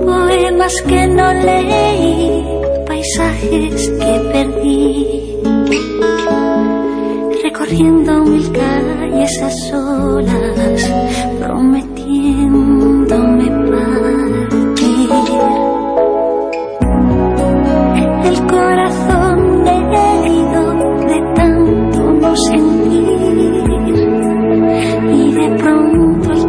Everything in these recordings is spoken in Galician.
Poemas que no leí, paisajes que perdí, recorriendo mil calles a solas, prometiéndome partir. El corazón herido de tanto no sentir, y de pronto el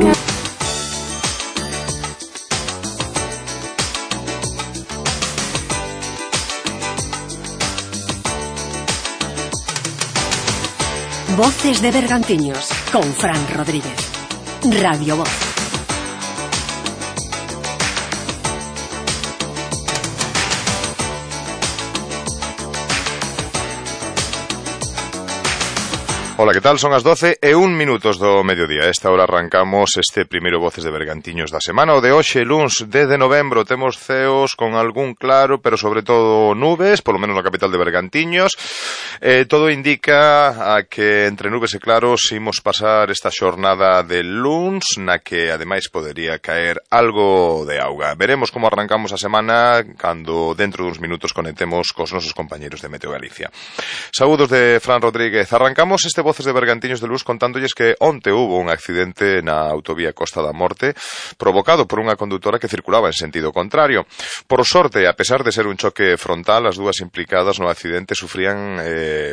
Voces de Bergantiños, con Fran Rodríguez. Radio Voz. Ola, que tal? Son as 12:01 do mediodía. A esta hora arrancamos este primeiro Voces de Bergantiños da semana. O de hoxe, luns 10 de novembro, temos ceos con algún claro, pero sobre todo nubes, polo menos na capital de Bergantiños. Todo indica a que entre nubes e claros imos pasar esta xornada de luns, na que ademais podería caer algo de auga. Veremos como arrancamos a semana cando dentro duns minutos conectemos cos nosos compañeros de Meteo Galicia. Saúdos de Fran Rodríguez. Arrancamos este Voces de Bergantiños de Luz contándolles que onte hubo un accidente na autovía Costa da Morte provocado por unha condutora que circulaba en sentido contrario. Por sorte, a pesar de ser un choque frontal, as dúas implicadas no accidente sufrían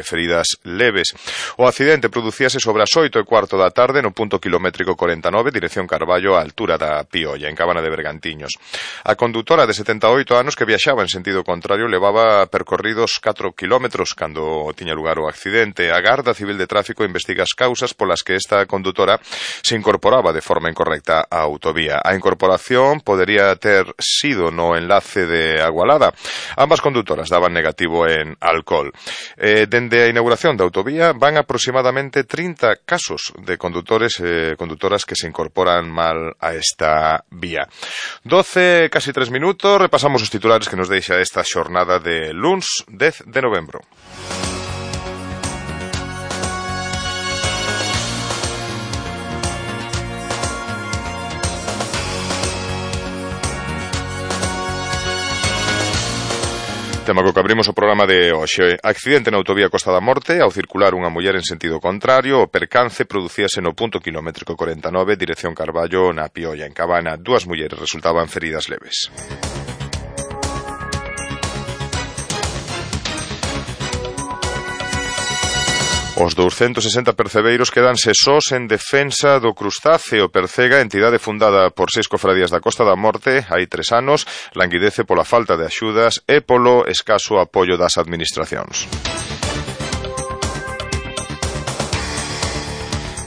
feridas leves. O accidente producíase sobre as 8:15 da tarde no punto kilométrico 49, dirección Carballo, á altura da Piolla, en Cabana de Bergantiños. A condutora de 78 anos que viaxaba en sentido contrario levaba percorridos 4 kilómetros cando tiña lugar o accidente. A Garda Civil de Tráfico investiga as causas polas que esta condutora se incorporaba de forma incorrecta á autovía. A incorporación podería ter sido no enlace de Agualada. Ambas condutoras daban negativo en alcohol. Dende a inauguración da autovía van aproximadamente 30 casos de condutores e condutoras que se incorporan mal a esta vía. 12, casi 3 minutos, repasamos os titulares que nos deixa esta xornada de luns 10 de novembro. Tema co que abrimos o programa de hoxe. Accidente na autovía Costa da Morte ao circular unha muller en sentido contrario. O percance producíase no punto kilométrico 49, dirección Carballo, na Piolla, en Cabana. Dúas mulleres resultaban feridas leves. Os 260 percebeiros quedanse sós en defensa do crustáceo. Percega, entidade fundada por 6 cofradías da Costa da Morte hai 3 anos, languidece pola falta de axudas e polo escaso apoio das administracións.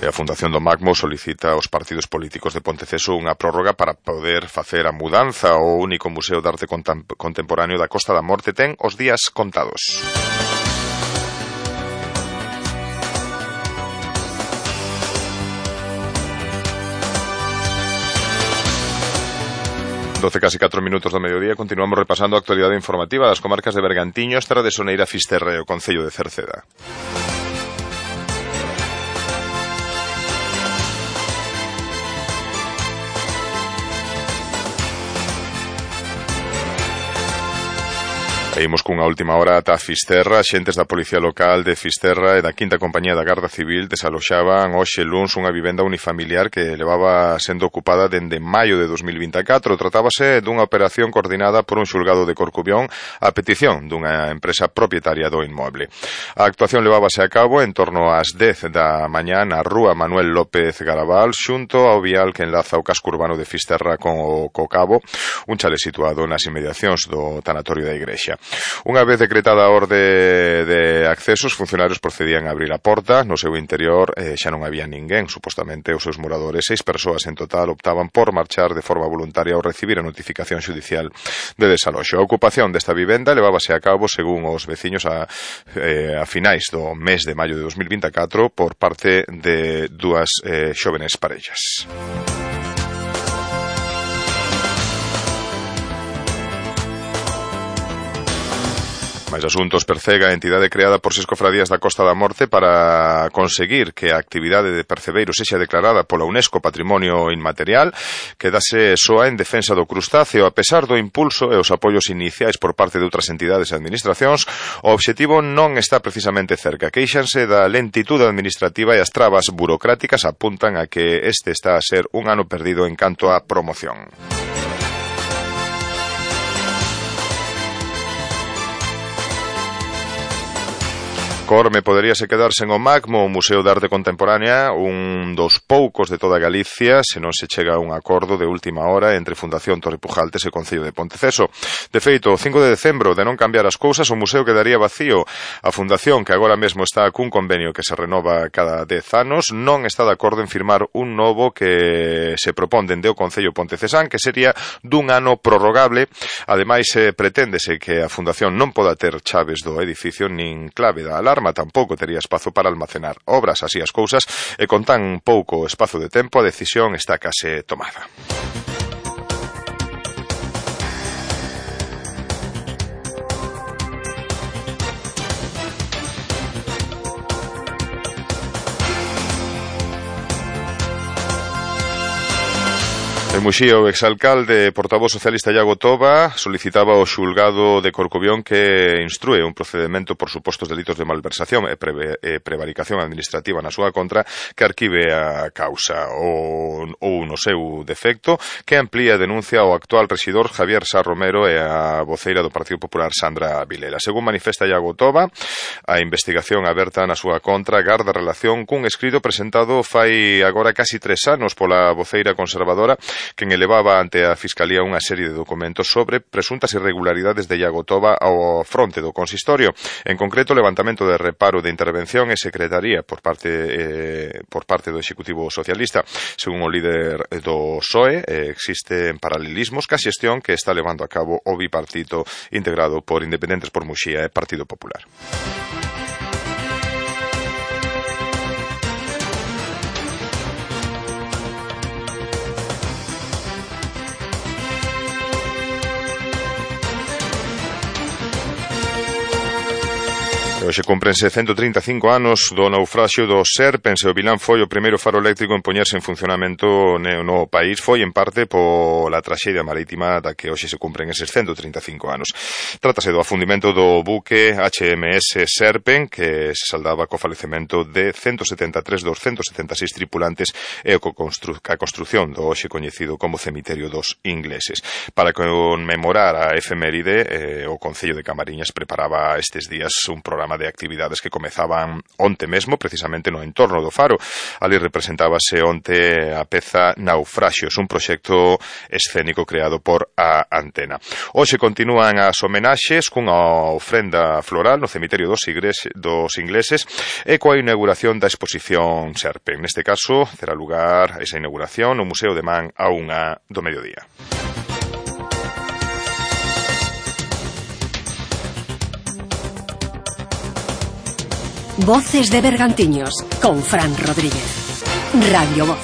E a Fundación do Macmo solicita aos partidos políticos de Ponteceso unha prórroga para poder facer a mudanza. O único museo de arte contemporáneo da Costa da Morte ten os días contados. Casi 4 minutos do mediodía, continuamos repasando a actualidade informativa das comarcas de Bergantiños, Terra de Soneira, Fisterra e o concello de Cerceda. Seguimos cunha última hora ata Fisterra. Xentes da Policía Local de Fisterra e da 5ª Compañía da Garda Civil desaloxaban hoxe luns unha vivenda unifamiliar que levaba sendo ocupada dende maio de 2024. Tratábase dunha operación coordinada por un xulgado de Corcubión a petición dunha empresa propietaria do inmoble. A actuación levábase a cabo en torno ás 10 da mañá na rúa Manuel López Garabal, xunto ao vial que enlaza o casco urbano de Fisterra con o Cocabo, un chale situado nas inmediacións do tanatorio da Igrexa. Unha vez decretada a orde de acceso, os funcionarios procedían a abrir a porta. No seu interior xa non había ninguén, supostamente os seus moradores. 6 persoas en total optaban por marchar de forma voluntaria ao recibir a notificación xudicial de desaloxo. A ocupación desta vivenda levábase a cabo, según os veciños, a finais do mes de maio de 2024 por parte de dúas xóvenes parellas. Mais asuntos percega a entidade creada por 6 cofradías da Costa da Morte para conseguir que a actividade de percebeiros sexa declarada pola UNESCO Patrimonio Inmaterial, quedase soa en defensa do crustáceo. A pesar do impulso e os apoios iniciais por parte de outras entidades e administracións, o obxectivo non está precisamente cerca. Queixanse da lentitude administrativa e as trabas burocráticas apuntan a que este está a ser un ano perdido en canto á promoción. Corme poderíase quedar sen o MACMO, o Museo de Arte Contemporánea, un dos poucos de toda Galicia, se non se chega a un acordo de última hora entre Fundación Torre Pujaltes e Concello de Ponteceso. De feito, o 5 de decembro, de non cambiar as cousas, o museo quedaría vacío. A Fundación, que agora mesmo está cun convenio que se renova cada 10 anos, non está de acordo en firmar un novo que se propón dende o Concello Pontecesán, que sería dun ano prorrogable. Ademais, preténdese que a Fundación non poda ter chaves do edificio nin clave da alarma, tampouco tería espazo para almacenar obras. Así as cousas, e con tan pouco espazo de tempo, a decisión está case tomada. En Muxía, o exalcalde portavoz socialista Iago Toba solicitaba ao xulgado de Corcubión que instrúe un procedemento por supostos delitos de malversación e prevaricación administrativa na súa contra, que arquive a causa ou no seu defecto, que amplía a denuncia ao actual rexidor Javier Sá Romero e a voceira do Partido Popular Sandra Vilela. Según manifesta Iago Toba, a investigación aberta na súa contra garda relación cun escrito presentado fai agora casi 3 anos pola voceira conservadora, quen elevaba ante a Fiscalía unha serie de documentos sobre presuntas irregularidades de Iago Toba ao fronte do consistorio. En concreto, levantamento de reparo de intervención e secretaría por parte do Executivo Socialista. Según o líder do PSOE, existen paralelismos ca xestión que está levando a cabo o bipartito integrado por Independentes por Muxía e Partido Popular. Hoxe cúmprense 135 anos do naufraxio do Serpens e o Vilán foi o primeiro faro eléctrico en poñerse en funcionamento no país. Foi en parte pola traxedia marítima da que hoxe se cumpren eses 135 anos. Trátase do afundimento do buque HMS Serpen, que se saldaba co falecemento de 173 dos 176 tripulantes e a construción do hoxe coñecido como Cemiterio dos Ingleses. Para conmemorar a efeméride, o Concello de Camariñas preparaba estes días un programa de actividades que comezaban onte mesmo, precisamente no entorno do faro. Ali representábase onte a peza Naufraxios, un proxecto escénico creado por a Antena. Hoxe continúan as homenaxes cunha ofrenda floral no Cemiterio dos Ingleses e coa inauguración da exposición Serpen. Neste caso, terá lugar esa inauguración no Museo de Man a 1 do mediodía. Voces de Bergantiños, con Fran Rodríguez. Radio Voz.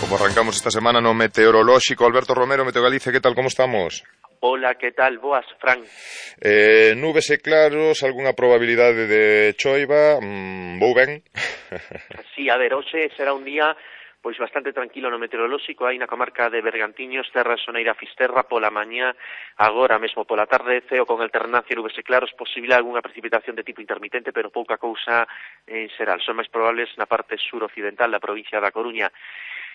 Como arrancamos esta semana no meteorolóxico, Alberto Romero, Meteo Galicia, ¿qué tal? ¿Cómo estamos? Hola, que tal? Boas, Fran. Nubes e claros, algunha probabilidade de choiva, vou ben. Sí, a ver, hoxe será un día pois bastante tranquilo no meteorolóxico, aí na comarca de Bergantiños, terra soneira Fisterra, pola mañá, agora mesmo pola tarde, ceo con alternancia nubes e claros, posible algunha precipitación de tipo intermitente, pero pouca cousa en xeral. Son máis probables na parte sur-occidental da provincia da Coruña.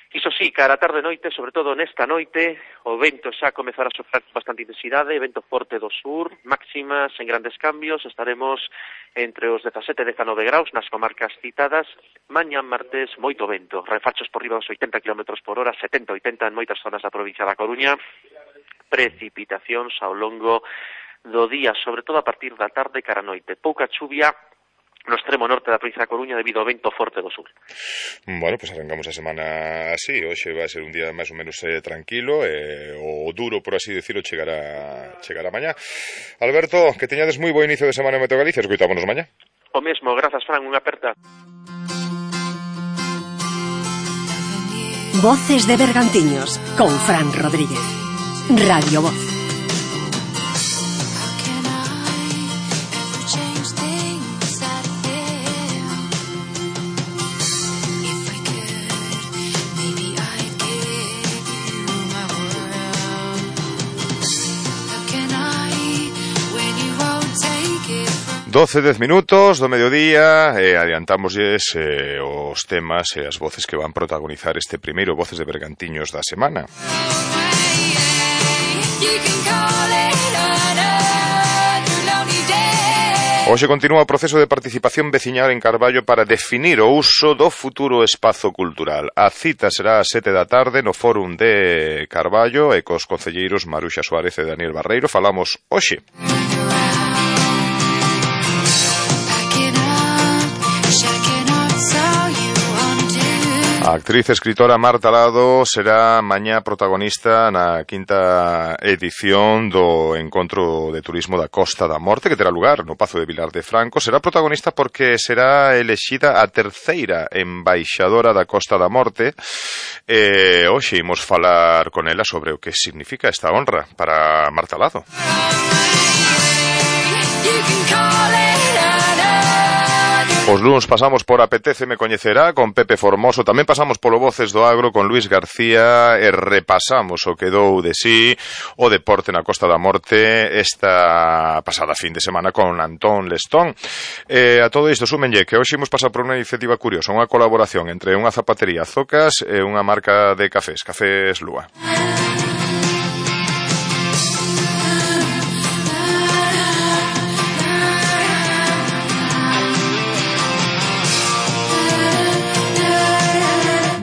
Iso sí, cara a tarde noite, sobre todo nesta noite, o vento xa comezará a sofrer bastante intensidade, vento forte do sur, máximas en grandes cambios, estaremos entre os 17 e 19 graus nas comarcas citadas. Mañá martes, moito vento, refachos por riba dos 80 km por hora, 70-80 en moitas zonas da provincia da Coruña, precipitacións ao longo do día, sobre todo a partir da tarde cara a noite, pouca chuvia no extremo norte da provincia da Coruña debido ao vento forte do sur. Bueno, pues arrancamos a semana así. Hoxe vai ser un día máis ou menos tranquilo, o duro, por así decirlo, chegará mañá. Alberto, que teñades moi bo inicio de semana en Meteo Galicia. Escoitámonos mañá. O mesmo, grazas, Fran, unha aperta. Voces de Bergantiños, con Fran Rodríguez. Radio Voz. 12 minutos do mediodía e adiantámoslles os temas e as voces que van protagonizar este primeiro Voces de Bergantiños da semana. Hoxe continúa o proceso de participación veciñal en Carballo para definir o uso do futuro espazo cultural. A cita será ás 7 da tarde no Fórum de Carballo e cos concelleiros Maruxa Suárez e Daniel Barreiro falamos hoxe. A actriz e escritora Marta Lado será mañá protagonista na quinta edición do Encontro de Turismo da Costa da Morte, que terá lugar no Pazo de Vilar de Franco. Será protagonista porque será elexida a terceira embaixadora da Costa da Morte. Hoxe imos falar con ela sobre o que significa esta honra para Marta Lado. Os luns pasamos por Apetéceme Coñecerá con Pepe Formoso, tamén pasamos polo Voces do Agro con Luis García e repasamos o que dou de sí o deporte na Costa da Morte esta pasada fin de semana con Antón Lestón. A todo isto súmenlle que hoxe imos pasar por unha iniciativa curiosa, unha colaboración entre unha zapatería Zocas e unha marca de cafés, Cafés Lúa.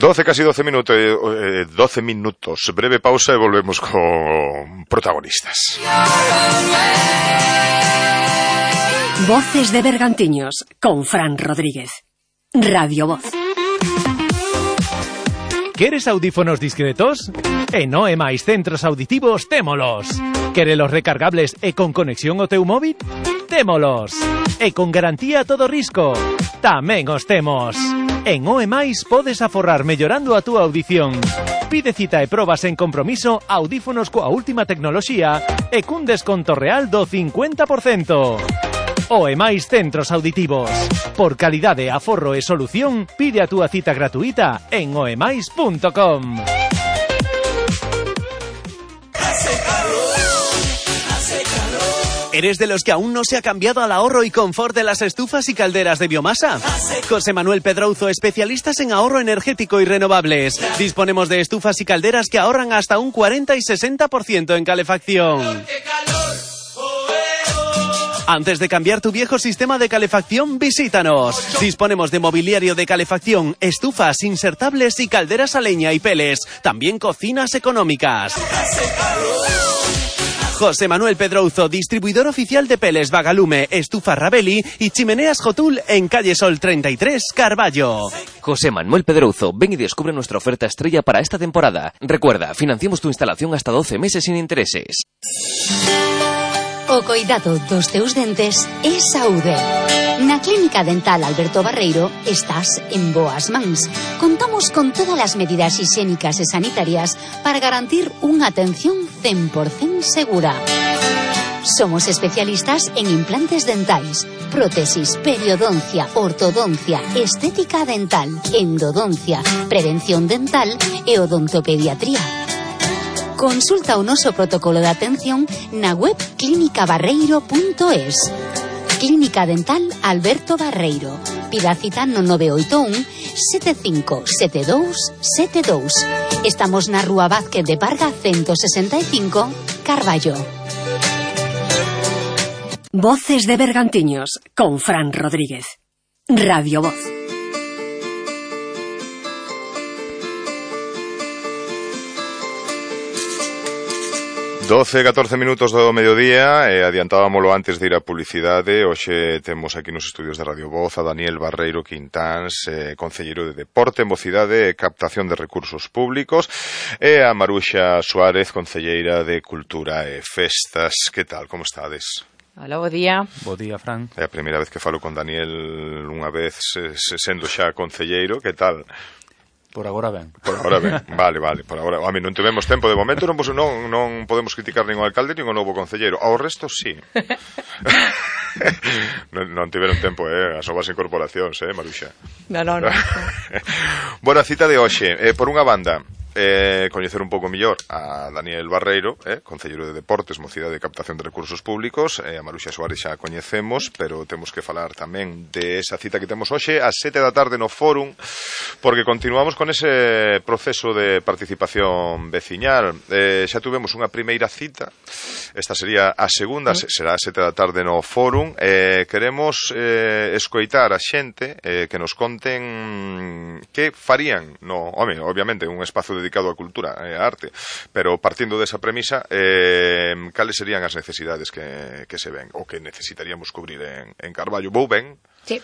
Casi 12 minutos. Breve pausa e volvemos con protagonistas. Voces de Bergantiños con Fran Rodríguez. Radio Voz. Queres audífonos discretos? En OE Mais Centros Auditivos témolos. Querelos recargables e con conexión ao teu móvil? Témolos. E con garantía a todo risco? Tamén os temos. En OE Mais podes aforrar mellorando a túa audición. Pide cita e probas en compromiso audífonos coa última tecnoloxía e cun desconto real do 50%. OE Mais Centros Auditivos. Por calidade, aforro e solución, pide a túa cita gratuita en oemais.com. ¿Eres de los que aún no se ha cambiado al ahorro y confort de las estufas y calderas de biomasa? José Manuel Pedrouzo, especialistas en ahorro energético y renovables. Disponemos de estufas y calderas que ahorran hasta un 40 y 60% en calefacción. Antes de cambiar tu viejo sistema de calefacción, visítanos. Disponemos de mobiliario de calefacción, estufas insertables y calderas a leña y peles. También cocinas económicas. José Manuel Pedrouzo, distribuidor oficial de peles Vagalume, estufa Rabelli y chimeneas Jotul en calle Sol 33, Carballo. José Manuel Pedrouzo, ven y descubre nuestra oferta estrella para esta temporada. Recuerda, financiamos tu instalación hasta 12 meses sin intereses. O coidado dos teus dentes é saúde. Na Clínica Dental Alberto Barreiro estás en boas mans. Contamos con todas as medidas higiénicas e sanitarias para garantir unha atención 100% segura. Somos especialistas en implantes dentais, prótesis, periodoncia, ortodoncia, estética dental, endodoncia, prevención dental e odontopediatría. Consulta o noso protocolo de atención na web clinicabarreiro.es. Clínica Dental Alberto Barreiro. Pida cita no 981 757272. Estamos na Rúa Vázquez de Parga 165, Carballo. Voces de Bergantiños con Fran Rodríguez. Radio Voz. 12-14 minutos do mediodía e adiantábamolo antes de ir a publicidade. Hoxe temos aquí nos estudios de Radio Voz a Daniel Barreiro Quintáns, concelleiro de Deporte, Mocidade e Captación de Recursos Públicos, e a Maruxa Suárez, concelleira de Cultura e Festas. Que tal, como estades? Hola, bo día. Bo día, Fran. É a primeira vez que falo con Daniel unha vez sendo xa concelleiro. Que tal? Por agora ben. Por agora ben, vale, por agora. A mí non tivemos tempo de momento, non podemos criticar nin o alcalde nin o novo concelleiro. Ao resto, sí. non tiveron tempo, as novas incorporacións, Maruxa. Non. Bueno, a cita de hoxe, por unha banda, coñecer un pouco mellor a Daniel Barreiro, concelleiro de Deportes, Mocidade de Captación de Recursos Públicos, a Maruxa Suárez xa a coñecemos, pero temos que falar tamén de esa cita que temos hoxe ás 7 da tarde no Fórum, porque continuamos con ese proceso de participación veciñal. Xa tuvemos unha primeira cita, esta sería a segunda, será ás 7 da tarde no Fórum. Queremos escoitar a xente que nos conten que farían obviamente un espazo dedicado á cultura e á arte, pero partindo desa premisa, cales serían as necesidades que se ven ou que necesitaríamos cubrir en Carballo? Vou ben? Sí.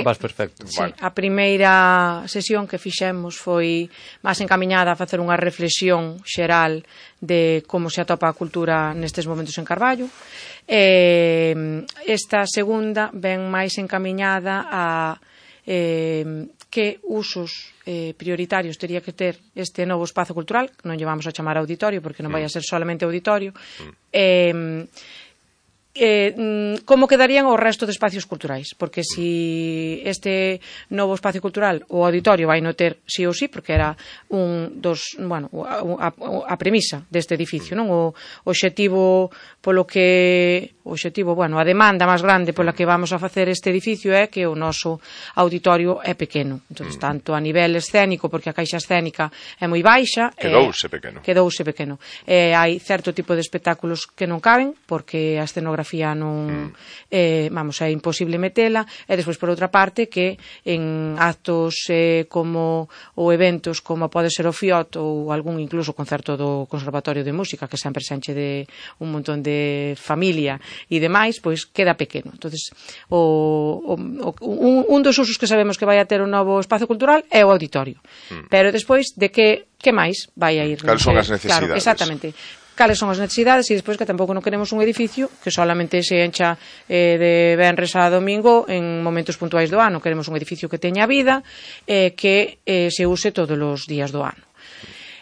Vas perfecto. Sí, a primeira sesión que fixemos foi máis encamiñada a facer unha reflexión xeral de como se atopa a cultura nestes momentos en Carballo. Esta segunda ven máis encamiñada a que usos prioritarios tería que ter este novo espazo cultural, que non lle vamos a chamar auditorio porque non vai a ser solamente auditorio, como quedarían o resto de espacios culturais, porque si este novo espacio cultural, o auditorio vai no ter sí ou sí, porque era a premisa deste edificio, non? O obxectivo a demanda máis grande pola que vamos a facer este edificio é que o noso auditorio é pequeno. Entonces, tanto a nivel escénico, porque a caixa escénica é moi baixa, quedouse pequeno. Hai certo tipo de espectáculos que non caben, porque a escenografía non é imposible metela, e despois por outra parte que en actos como ou eventos como pode ser o FIOT ou algún incluso concerto do Conservatorio de Música, que sempre se enche de un montón de familia e demais, pois queda pequeno. Entonces, un dos usos que sabemos que vai a ter un novo espazo cultural é o auditorio, pero despois de que máis vai a ir? Cales son as necesidades? Claro, exactamente. Cales son as necesidades, e despois que tampouco non queremos un edificio que solamente se encha de venres a domingo en momentos puntuais do ano. Queremos un edificio que teña vida, que se use todos os días do ano.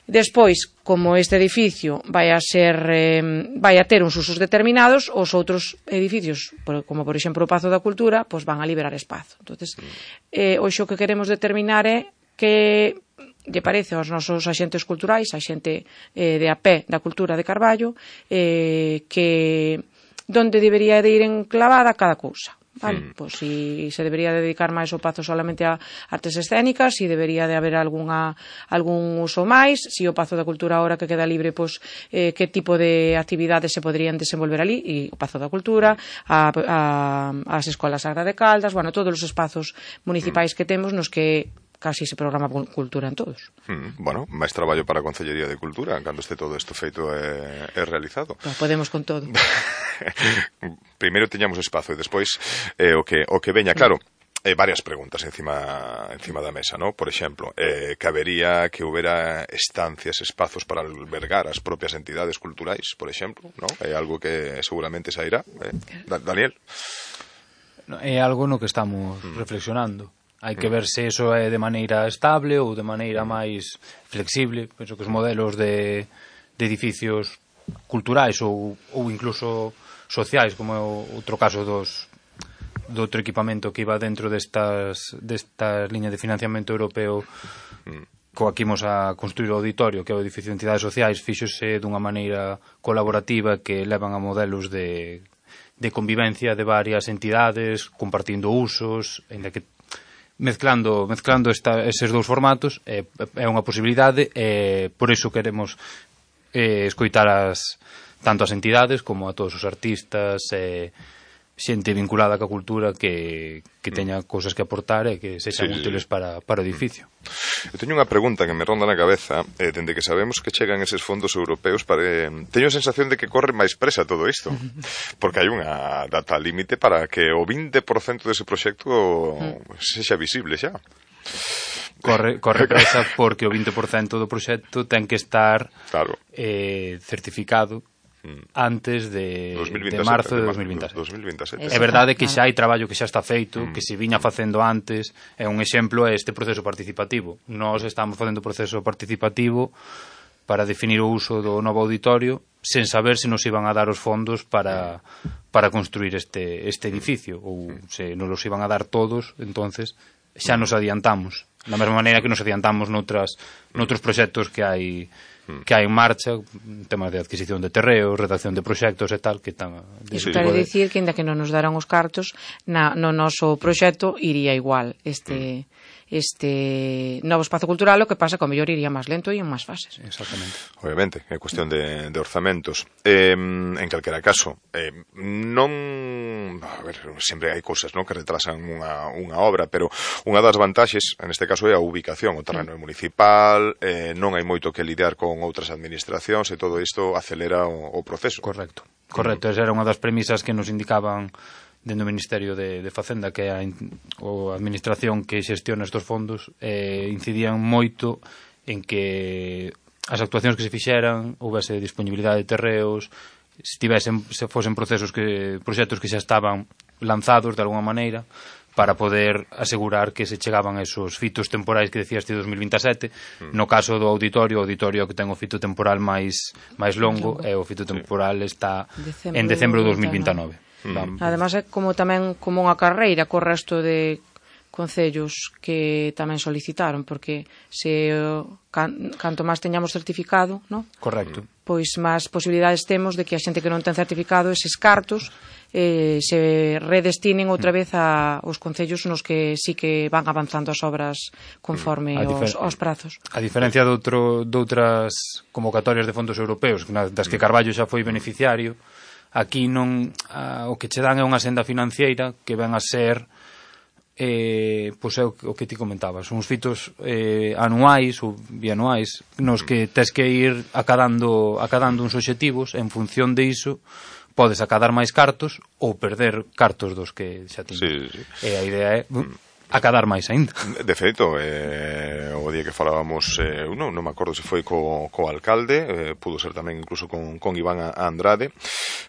Despois, como este edificio vai a ter uns usos determinados, os outros edificios, como por exemplo o Pazo da Cultura, pois van a liberar espazo. Entonces, hoxe o que queremos determinar é que lle parece aos nosos axentes culturais, a xente de a pé da cultura de Carballo, que onde debería de ir enclavada cada cousa. Vale, pois si se debería dedicar máis o Pazo solamente a artes escénicas, si debería de haber algún uso máis, si o Pazo da Cultura ahora que queda libre, pois que tipo de actividades se poderían desenvolver ali, e o Pazo da Cultura, as escolas Sagra de Caldas, todos os espazos municipais que temos nos que casi se programa cultura en todos. Máis traballo para a Concellería de Cultura cando este todo isto feito e realizado. Podemos con todo. Primeiro tiñamos espazo e despois o que veña, claro. Varias preguntas encima da mesa, ¿no? Por exemplo, que houbera estancias, espazos para albergar as propias entidades culturais, por exemplo, ¿no? É algo que seguramente sairá. Daniel? É algo no que estamos reflexionando. Hai que ver se eso é de maneira estable ou de maneira máis flexible. Penso que os modelos de edificios culturais ou incluso sociais, como é outro caso do outro equipamento que iba dentro destas liñas de financiamento europeo, que imos a construir o auditorio, que é o edificio de entidades sociais, fíxose dunha maneira colaborativa que levan a modelos de convivencia de varias entidades, compartindo usos, ainda que mezclando eses dous formatos, é unha posibilidade, e por iso queremos escoitar tanto as entidades como a todos os artistas, xente vinculada ca cultura que teña cousas que aportar e que sexan útiles para o edificio. Eu teño unha pregunta que me ronda na cabeza, dende que sabemos que chegan eses fondos europeos, teño a sensación de que corre máis presa todo isto, porque hai unha data límite para que o 20% dese proxecto sexa visible xa. Corre presa porque o 20% do proxecto ten que estar certificado antes de marzo de 2027. É verdade que xa hai traballo que xa está feito, que se viña facendo antes, é un exemplo este proceso participativo. Nós estamos facendo o proceso participativo para definir o uso do novo auditorio sen saber se nos iban a dar os fondos para construir este edificio, ou se nos os iban a dar todos, entonces xa nos adiantamos, da mesma maneira que nos adiantamos noutros proxectos que hai en marcha, temas de adquisición de terreos, redacción de proxectos e tal, que están... Iso quere dicir que, ainda que non nos daran os cartos, no noso proxecto iría igual este novo espazo cultural, o que pasa que o mellor iría máis lento e en máis fases. Exactamente. Obviamente, é cuestión de orzamentos. En calquera caso, non... A ver, sempre hai cousas, non, que retrasan unha obra, pero unha das vantaxes, en este caso, é a ubicación. O terreno é municipal, non hai moito que lidiar con outras administracións e todo isto acelera o proceso. Correcto. Esa era unha das premisas que nos indicaban dentro do Ministerio de Facenda, que é a administración que xestiona estes fondos, incidían moito en que as actuacións que se fixeran houvese disponibilidade de terreos, se fosen proxectos que xa estaban lanzados de alguma maneira, para poder asegurar que se chegaban a esos fitos temporais que decías ti 2027. No caso do auditorio, o auditorio que ten o fito temporal máis longo, e o fito temporal está en decembro de 2029. Además é tamén como unha carreira co resto de concellos que tamén solicitaron, porque se canto máis teñamos certificado, ¿no? Correcto. Pois máis posibilidades temos de que a xente que non ten certificado eses cartos se redestinen outra vez aos concellos nos que sí que van avanzando as obras conforme aos prazos. A diferencia de outras convocatorias de fondos europeos, das que Carballo xa foi beneficiario, aquí non o que che dan é unha senda financiera que ven a ser pois é o que ti comentabas, uns fitos anuais ou bianuais nos que tes que ir acadando uns obxectivos, en función de iso podes acadar máis cartos ou perder cartos dos que xa tiñes. E a idea é acadar máis aínda. De feito, o día que falábamos, non me acordo se foi co alcalde, pudo ser tamén incluso con Iván Andrade,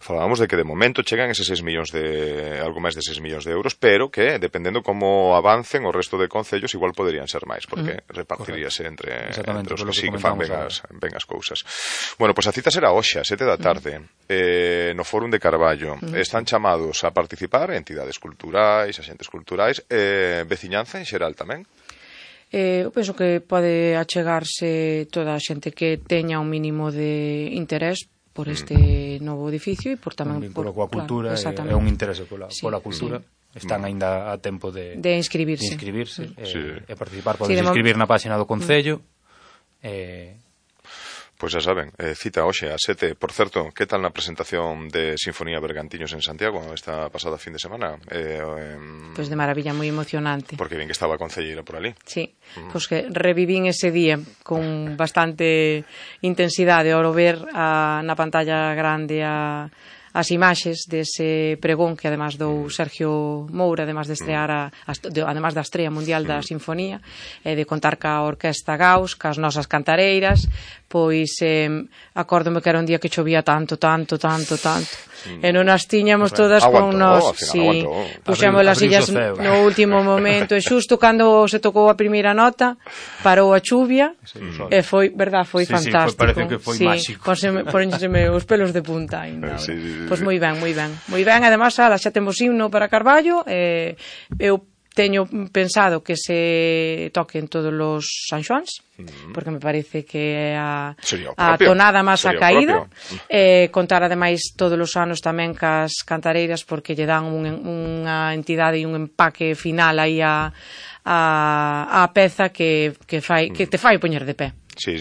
falábamos de que de momento chegan eses 6 millóns algo máis de 6 millóns de euros, pero que dependendo como avancen o resto de concellos igual poderían ser máis, porque repartiríase entre os que sí que fan ben as cousas. Bueno, pois a cita será hoxe a 7 da tarde no Fórum de Carballo. Están chamados a participar entidades culturais, axentes culturais, veciñanza en xeral tamén? Eu penso que pode achegarse toda a xente que teña un mínimo de interés por este novo edificio e por tamén por coa cultura, é un interese pola cultura. Están aínda a tempo de inscribirse e participar. Podes inscribir na página do Concello. Pois xa saben, cita hoxe a 7. Por certo, que tal na presentación de Sinfonía Bergantiños en Santiago esta pasada fin de semana? Pois de maravilla, moi emocionante. Porque bien que estaba a concelleira por ali. Sí, pois que revivín ese día con bastante intensidade ao ver na pantalla grande as imaxes dese pregón que además dou Sergio Moura, además de estrear además da estrea mundial da Sinfonía, de contar ca Orquesta Gauss, cas nosas cantareiras. Pois acórdome que era un día que chovía tanto e non as tiñamos todas con nós. Puxemos as sillas no último momento e xusto cando se tocou a primeira nota parou a chuvia e foi fantástico. Parece que foi máxico. Póñenseme os pelos de punta ainda. Pois moi ben. Además, xa temos himno para Carballo. Eu teño pensado que se toquen todos os San Xoáns, porque me parece que é a tonada máis acaída. Contar ademais todos os anos tamén cas cantareiras, porque lle dan unha entidade e un empaque final aí a peza que te fai poñer de pé. Sí.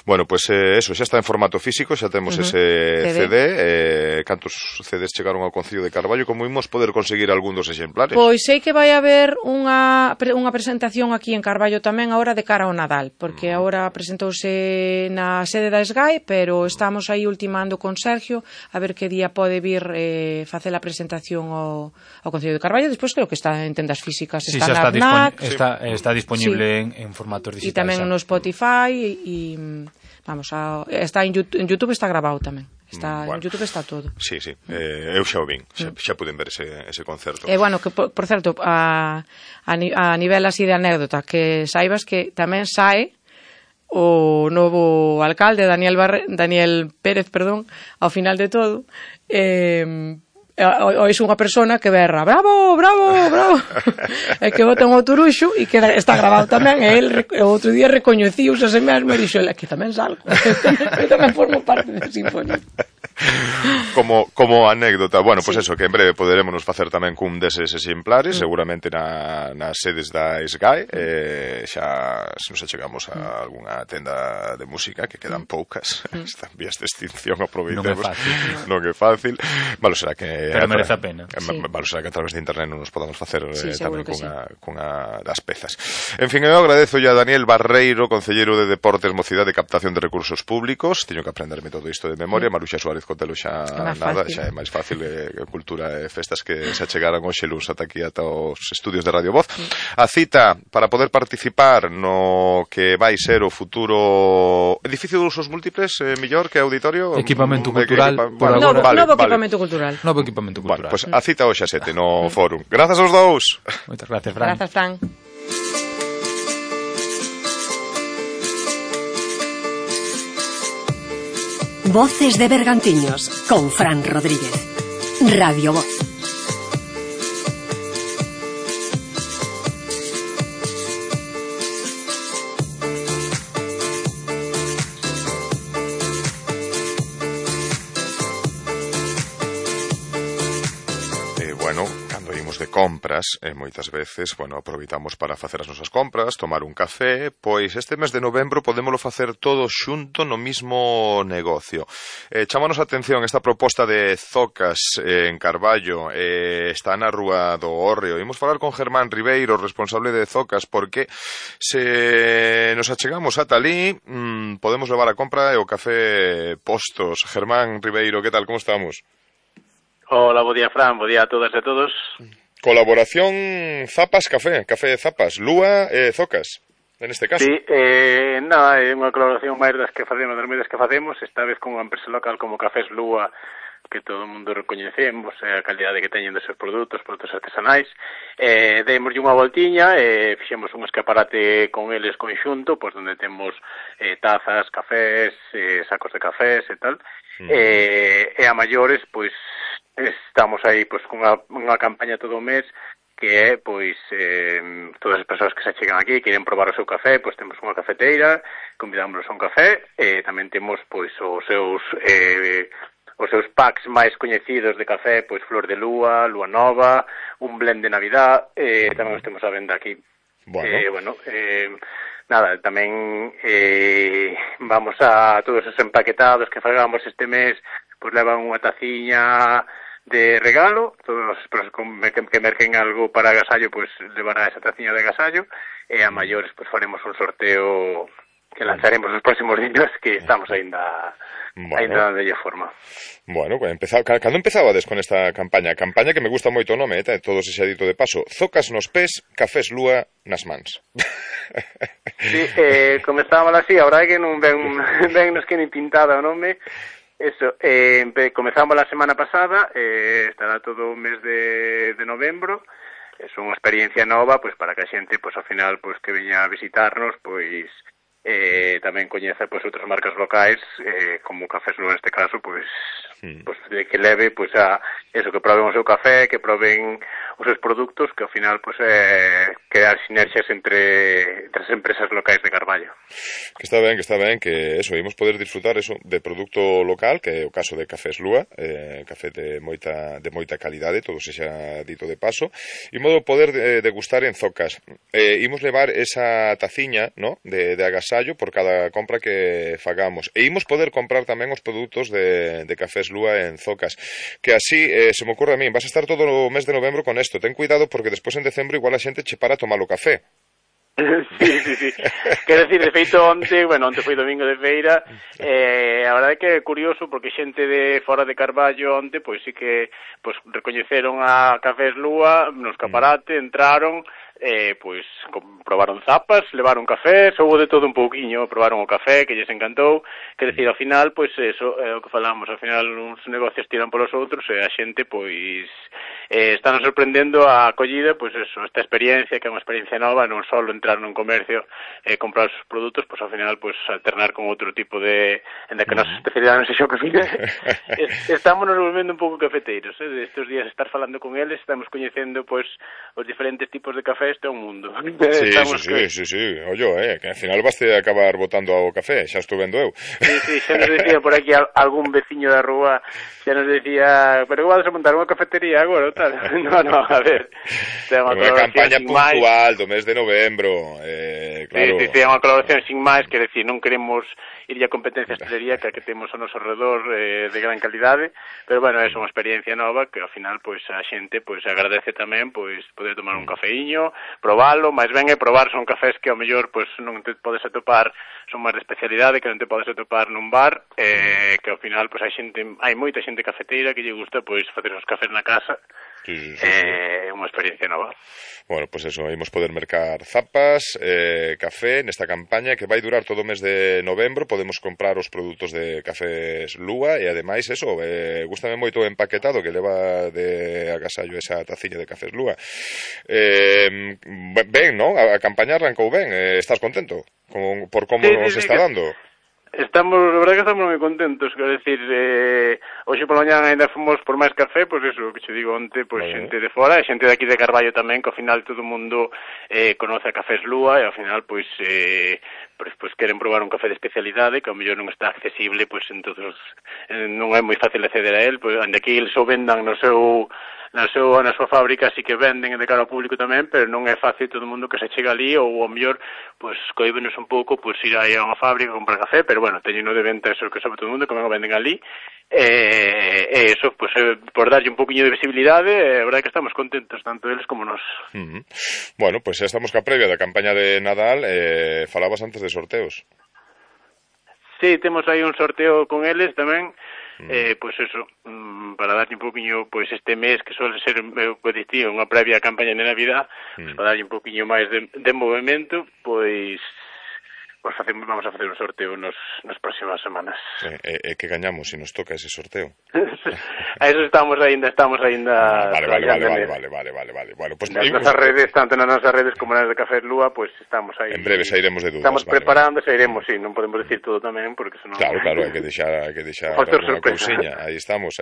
Bueno, pois eso, xa está en formato físico, xa temos ese CD. Cantos CDs chegaron ao Concello de Carballo? Como imos poder conseguir algún dos exemplares? Pois sei que vai haber unha presentación aquí en Carballo tamén agora de cara ao Nadal, porque agora presentouse na sede da SGAE, pero estamos aí ultimando con Sergio a ver que día pode vir facer a presentación ao Concello de Carballo. Despois creo que está en tendas físicas, está na FNAC, está disponible en formatos digitais. E tamén no Spotify. E está en YouTube, está grabado tamén. En YouTube está todo. Sí. Eu xa o vin, xa puden ver ese concerto. E bueno, que por certo, a nivel así de anécdota, que saibas que tamén sae o novo alcalde Daniel Pérez, ao final de todo, ois unha persona que berra bravo, bravo, bravo e que botan o turuxo e que está grabado tamén e el o outro día recoñeciuse a se mesmo e dixo, que tamén salgo eu tamén formo parte da sinfonía. Como anécdota, bueno, pois eso, que en breve poderémonos facer tamén cun deses exemplares, seguramente nas sedes da SGAE, xa se nos achegamos a algunha tenda de música, que quedan poucas, están vías de extinción, aproveitemos. Non é fácil. Malo será que pero merece a pena. Malo será que a través de internet non nos podamos facer tamén cunha das pezas. En fin, eu agradezo a Daniel Barreiro, concelleiro de Deportes, Mocidade e Captación de Recursos Públicos. Teño que aprenderme todo isto de memoria. Maruxa Suárez Cotelo xa nada, xa é máis fácil, cultura e festas que se achegaran hoxe luns ata aquí ata os estudios de Radio Voz. A cita para poder participar no que vai ser o futuro edificio de usos múltiples, mellor que auditorio, equipamento cultural, novo equipamento cultural. Novo equipamento cultural. Pois a cita hoxe a 7 no Fórum. Grazas aos dous. Moitas gracias, Fran. Grazas, Fran. Voces de Bergantiños con Fran Rodríguez. Radio Voz. Compras, moitas veces, aproveitamos para facer as nosas compras, tomar un café, pois este mes de novembro podémolo facer todo xunto no mismo negocio. Chámanos a atención esta proposta de Zocas en Carballo, está na Rúa do Hórreo. Imos falar con Germán Ribeiro, responsable de Zocas, porque se nos achegamos ata ali, podemos levar a compra e o café postos. Germán Ribeiro, que tal, como estamos? Hola, bo día, Fran, bo día a todas e a todos. Colaboración Zapas Café, Café Zapas, Lúa e Zocas, en este caso. Sí, nada, é unha colaboración máis das que facemos, das medidas que facemos, esta vez con unha empresa local como Cafés Lúa, que todo o mundo recoñecemos, a calidade que teñen dos seus produtos artesanais. Deimoslle unha voltiña, fixemos un escaparate con eles conxunto, pois onde temos tazas, cafés, sacos de cafés e tal, e a maiores, pois, estamos aí pois con unha campaña todo o mes que é pois todas as persoas que se achegan aquí e queren probar o seu café, pois temos unha cafeteira, convidámonos a un café e tamén temos pois os seus packs máis coñecidos de café, pois Flor de Lúa, Lúa Nova, un blend de Navidad, tamén os temos a venda aquí. Nada, tamén vamos a todos os empaquetados que fagamos este mes, pois levan unha taciña de regalo, todos os que merquen algo para agasallo, pois levará esa taciña de agasallo, e a maiores pois faremos un sorteo que lanzaremos nos próximos días, que estamos aínda de forma. Bueno, cando empezabades con esta campaña? Campaña que me gusta moito o nome, todo ese dito de paso. Zocas nos pés, cafés Lúa nas mans. Sí, comezábamos así, a verdade que non ven nos que ni pintada o nome. Eso, comezamos a semana pasada, estará todo o mes de novembro. É unha experiencia nova, pois para que a xente, pois ao final, pois que veña a visitarnos, pois tamén coñeza pois outras marcas locais, como Cafés Lúa neste caso, pois de que leve pois a eso, que proben o seu café, que proben os seus produtos, que ao final pois crear sinerxias entre as empresas locais de Carballo. Que está ben, que eso, imos poder disfrutar eso de produto local, que é o caso de Cafés Lúa, café de moita calidade, todo se xa dito de paso, e modo poder degustar en Zocas. Imos levar esa taciña, ¿no?, de agasallo por cada compra que fagamos, e imos poder comprar tamén os produtos de Cafés Lúa en Zocas, que así, se me ocurre a mí, vas a estar todo o mes de novembro con isto, ten cuidado porque despois en decembro igual a xente che para a tomar o café. Sí. Quero decir, de feito, onte foi domingo de feira, a verdade é que é curioso porque xente de fora de Carballo onte, pois sí que recoñeceron a Cafés Lúa no escaparate, entraron, pois probaron zapas, levaron café, soubo de todo un pouquiño, probaron o café que lles encantou, quer decir, ao final, pois eso é o que falamos, ao final uns negocios tiran polos outros e a xente, pois están sorprendendo a acollida, pois eso, esta experiencia, que é unha experiencia nova, non só entrar nun comercio e comprar os produtos, pois ao final, pois alternar con outro tipo de, en que a nosa especialidade non sei xo que fide, estamos nos volvendo un pouco cafeteiros, estes días estar falando con eles, estamos coñecendo, pois, os diferentes tipos de café. Este é un mundo. Sí. Ollo, que al final vas a acabar botando ao café, xa estou vendo eu. Sí, xa nos decía por aquí algún veciño da rúa, xa nos decía, pero igual se montar unha cafetería agora ou tal. No, a ver. Unha campaña puntual do mes de novembro, claro. Sí, é unha colaboración sin máis, que decir, non queremos ir a competencia estrellería que temos ao noso redor de gran calidade, pero bueno, é unha experiencia nova que ao final pois a xente pois agradece tamén pois poder tomar un cafeíño, probalo, máis ben é probar, son cafés que ao mellor pois non te podes atopar, son máis de especialidade que non te podes atopar nun bar, que ao final pois hai moita xente cafeteira que lle gusta pois facer os cafés na casa. Sí. É unha experiencia nova. Bueno, pues eso, imos poder mercar zapas, café nesta campaña que vai durar todo o mes de novembro. Podemos comprar os produtos de Cafés Lúa e ademais eso, gústame moito o empaquetado que leva de agasallo esa taciña de Cafés Lúa. Ben, non? A campaña arrancou ben, estás contento por como nos está dando? La verdad que estamos moi contentos, quero decir, hoxe pola mañá ainda fomos por máis café, pois eso, que che digo onte, pois xente de fora, e xente de aquí de Carballo tamén, que ao final todo o mundo conoce a Cafés Lúa, e ao final, pois queren probar un café de especialidade, que ao mellor non está accesible, pois entonces non é moi fácil acceder a él, pois onde aquí eles o vendan na súa fábrica, así que venden de cara ao público tamén, pero non é fácil todo o mundo que se chega ali, ou ao mellor, pois, coíbenos un pouco, pois, ir aí a unha fábrica a comprar café, pero bueno, teño de venta eso que sabe todo o mundo, que non o venden ali, e eso, pois, por darlle un poquinho de visibilidade, a verdade que estamos contentos, tanto eles como nós. Bueno, pois xa estamos ca previa da campaña de Nadal, falabas antes de sorteos. Sí, temos aí un sorteo con eles tamén, pois eso, para darlle un poquinho, pois este mes que suele ser unha previa campaña de Navidad, pois para darlle un poquinho máis de movimento, pois vamos a facer un sorteo nas próximas semanas. Que gañamos se nos toca ese sorteo? A eso estamos ainda Vale. Bueno, pues nas redes, tanto nas nosas redes como nas de Cafés Lúa, pues estamos aí. En breve sairemos de dudas. Estamos preparando, sairemos, sí, non podemos decir todo tamén, porque senón... Claro, hai que deixar unha cousiña. Aí estamos.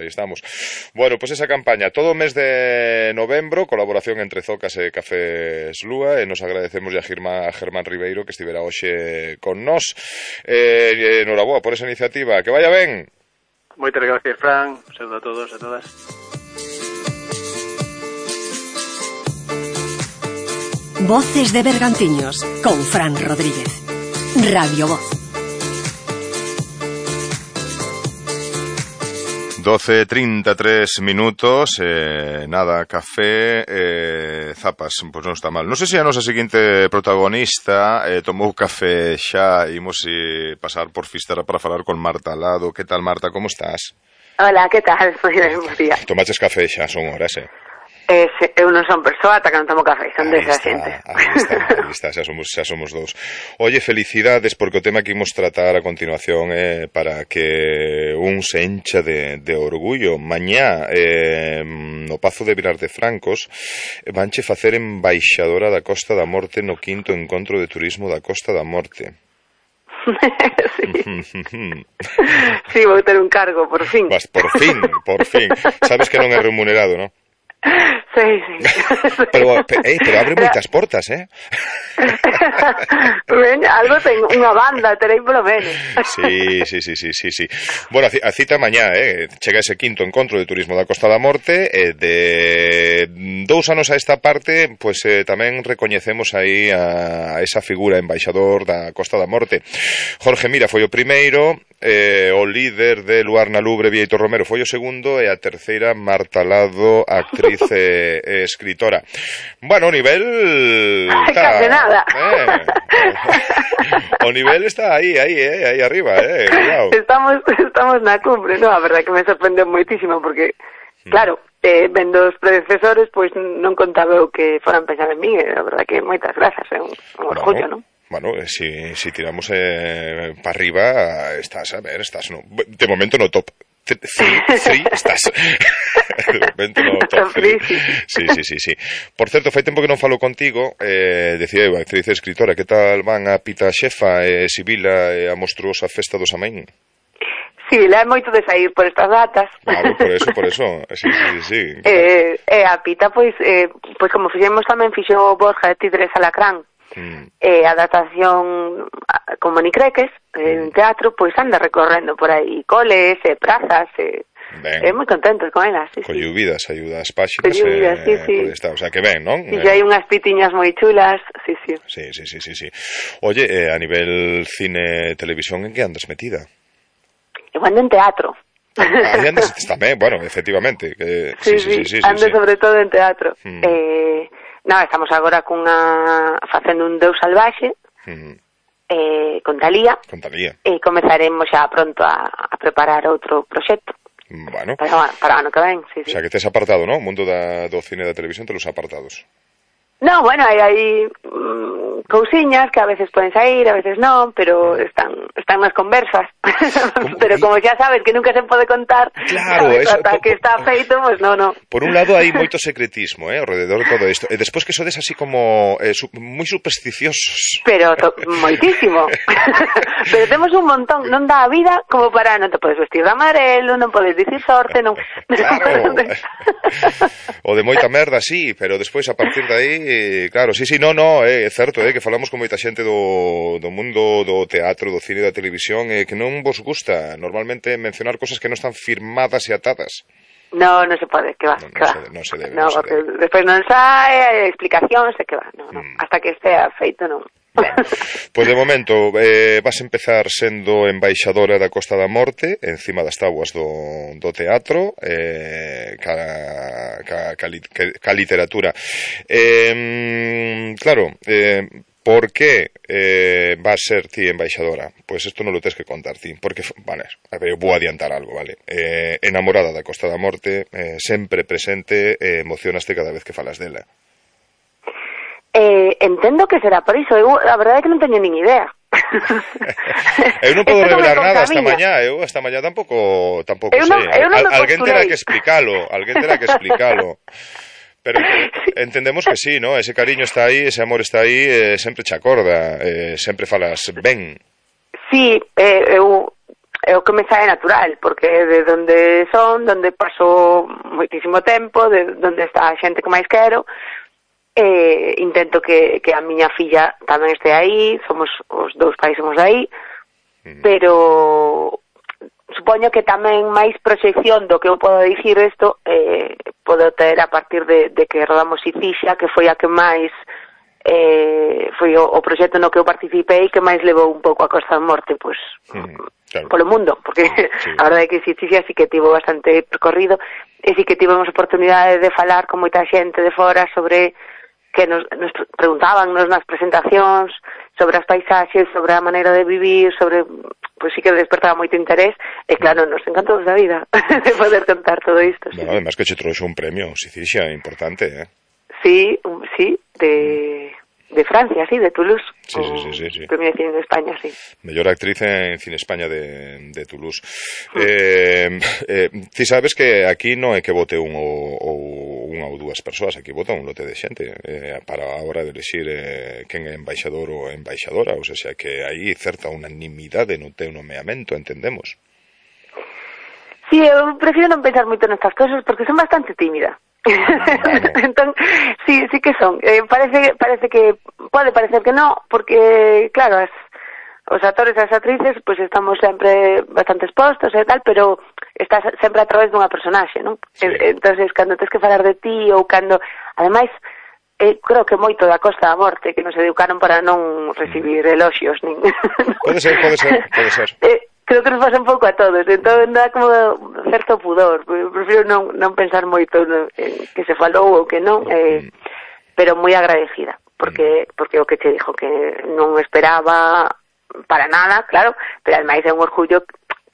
Bueno, pues esa campaña, todo o mes de novembro, colaboración entre Zocas e Cafés Lúa, e nos agradecemos a Germán Ribeiro que estivera hoxe con nós. Noraboa por esa iniciativa, que vaya ben. Moitas gracias, Fran. Un saludo a todos e a todas. Voces de Bergantiños con Fran Rodríguez. Radio Voz. 12:33 minutos, nada, café, zapas, pois non está mal. Non sei se a nosa seguinte protagonista tomou café xa, imos pasar por Fisterra para falar con Marta Lado. Que tal, Marta, como estás? Hola, que tal? Moi ben, bo día. Tomaches café xa, son horas, Eu non son persoa ata que non tomo café, son desa xente. Aí está, xa somos dous. Oye, felicidades, porque o tema que imos tratar a continuación é para que un se encha de orgullo. Mañá, no Pazo de Vilar de Francos, vanche facer embaixadora da Costa da Morte no 5º Encontro de Turismo da Costa da Morte. Sí, vou ter un cargo, por fin. Por fin. Sabes que non é remunerado, non? Sí. Pero abre moitas portas, Algo ten unha banda, terei polo menos. Sí. Bueno, a cita mañá, chega ese 5º Encontro de Turismo da Costa da Morte, de 2 anos a esta parte, pois tamén recoñecemos aí a esa figura embaixador da Costa da Morte. Jorge Mira foi o primeiro, o líder de Luar na Lubre, Vieito Romero, foi o segundo, e a terceira, Marta Lado, actriz e escritora. Bueno, o nivel case nada. O nivel está aí arriba, cuidado. Estamos na cumbre, a verdade que me sorprendeu moitísimo porque claro, vendo os predecesores, pois non contaba eu que foran pensar en mí, a verdade que moitas grazas, é un orgullo, non? Bueno, si tiramos para arriba, estás, a ver, estás no, de momento no top 3 estás. De momento no top 3. Sí. Por certo, fai tempo que non falo contigo, decía eu, actriz e escritora, que tal van a Pita Xefa, Sibila e a monstruosa festa do Samén? Sí, le é moito de sair por estas datas. Claro, por eso. Sí. A Pita, pois como fixemos tamén fixo Borja de Tigres Alacrán, a adaptación con monicreques en teatro, pois anda recorrendo por aí coles, prazas, moi contentos con elas, sí. Colluvidas, ayudas páxinas, sí. O sea, que ben, non? E hai unhas pitiñas moi chulas, sí. Sí. Oye, a nivel cine, televisión, en que andas metida? Eu ando en teatro. Aí andas tamén, bueno, efectivamente. Sí, ando sobre todo en teatro. Estamos agora facendo un Deus salvaxe con Talía. E comezaremos xa pronto a preparar outro proxecto. Bueno. Para ano que ven, sí. O sea, que tes apartado, ¿no? O mundo do cine e da televisión te los apartados. No, bueno, hai cousiñas que a veces poden sair, a veces non, pero están nas conversas. Pero como xa sabes que nunca se pode contar, claro, eso, ata que está feito, pues no. Por un lado hai moito secretismo, alrededor de todo isto. E despois que sodes así como moi supersticiosos. Pero moitísimo. Pero temos un montón, non dá a vida como para non te podes vestir de amarelo, non podes dicir sorte, non. Claro. O de moita merda, sí, pero despois a partir de aí, claro, sí, no, é certo, que falamos con moita xente do mundo do teatro, do cine e da televisión, que non vos gusta normalmente mencionar cosas que non están firmadas e atadas. No se pode, que va. Non se debe. Despois non sai, explicacións, que va, no. Hasta que estea feito, non. Bueno, pois de momento vas a empezar sendo embaixadora da Costa da Morte encima das tábuas do teatro, ca literatura. Claro, por que vas ser ti embaixadora? Pois isto non lo tens que contar ti, porque, vale, a ver, vou adiantar algo, vale? Enamorada da Costa da Morte, sempre presente, emocionaste cada vez que falas dela. Entendo que será por iso. A verdade é que non teño nin idea. Eu non podo revelar nada esta mañá. Eu esta mañá tampouco sei. Alguén terá que explicalo. Pero entendemos que sí, ¿no? Ese cariño está aí, ese amor está aí, sempre che acorda, sempre falas ben. Sí, é o que me sae natural, porque de onde paso moitísimo tempo, de onde está a xente que máis quero. Intento que a miña filla tamén este aí, somos os dous pais somos aí, pero supoño que tamén máis proxección do que eu podo dicir isto podo ter a partir de que rodamos Sicilia, que foi a que máis foi o proxecto no que eu participei que máis levou un pouco a Costa da Morte, pois claro, polo mundo, porque a verdade é que Sicilia sí que tivo bastante percorrido e sí que tivemos oportunidade de falar con moita xente de fora sobre que nos preguntaban nas presentacións sobre as paisaxes, sobre a maneira de vivir, sobre, pois sí que despertaba moito interés, e claro, nos encantou da vida de poder contar todo isto. Bueno, además que che trouxe un premio, Sicilia, importante, Sí, de Francia, sí, de Toulouse. Sí. Premio de Cine de España, sí. Mellor actriz en Cine España de Toulouse. Ti sabes que aquí non é que vote unha ou dúas persoas, aquí vota un lote de xente para a hora de elegir quen é embaixador ou embaixadora, ou sea que hai certa unanimidade no teu nomeamento, entendemos. Sí, eu prefiro non pensar moito nestas cosas porque son bastante tímida. Entón, sí que son. Parece que pode parecer que no, porque claro, os actores e as actrices pues estamos sempre bastante expostos e tal, pero estás sempre a través dunha personaxe, non? Sí. Entonces, cando tens que falar de ti ou cando, ademais, creo que moito da Costa da Morte que nos educaron para non recibir eloxios nin. Pode ser. Creo que nos pasa un pouco a todos, entón dá como certo pudor. Prefiro non pensar moito en que se falou ou que non, pero moi agradecida, porque o que te dixo que non esperaba para nada, claro, pero ademais é un orgullo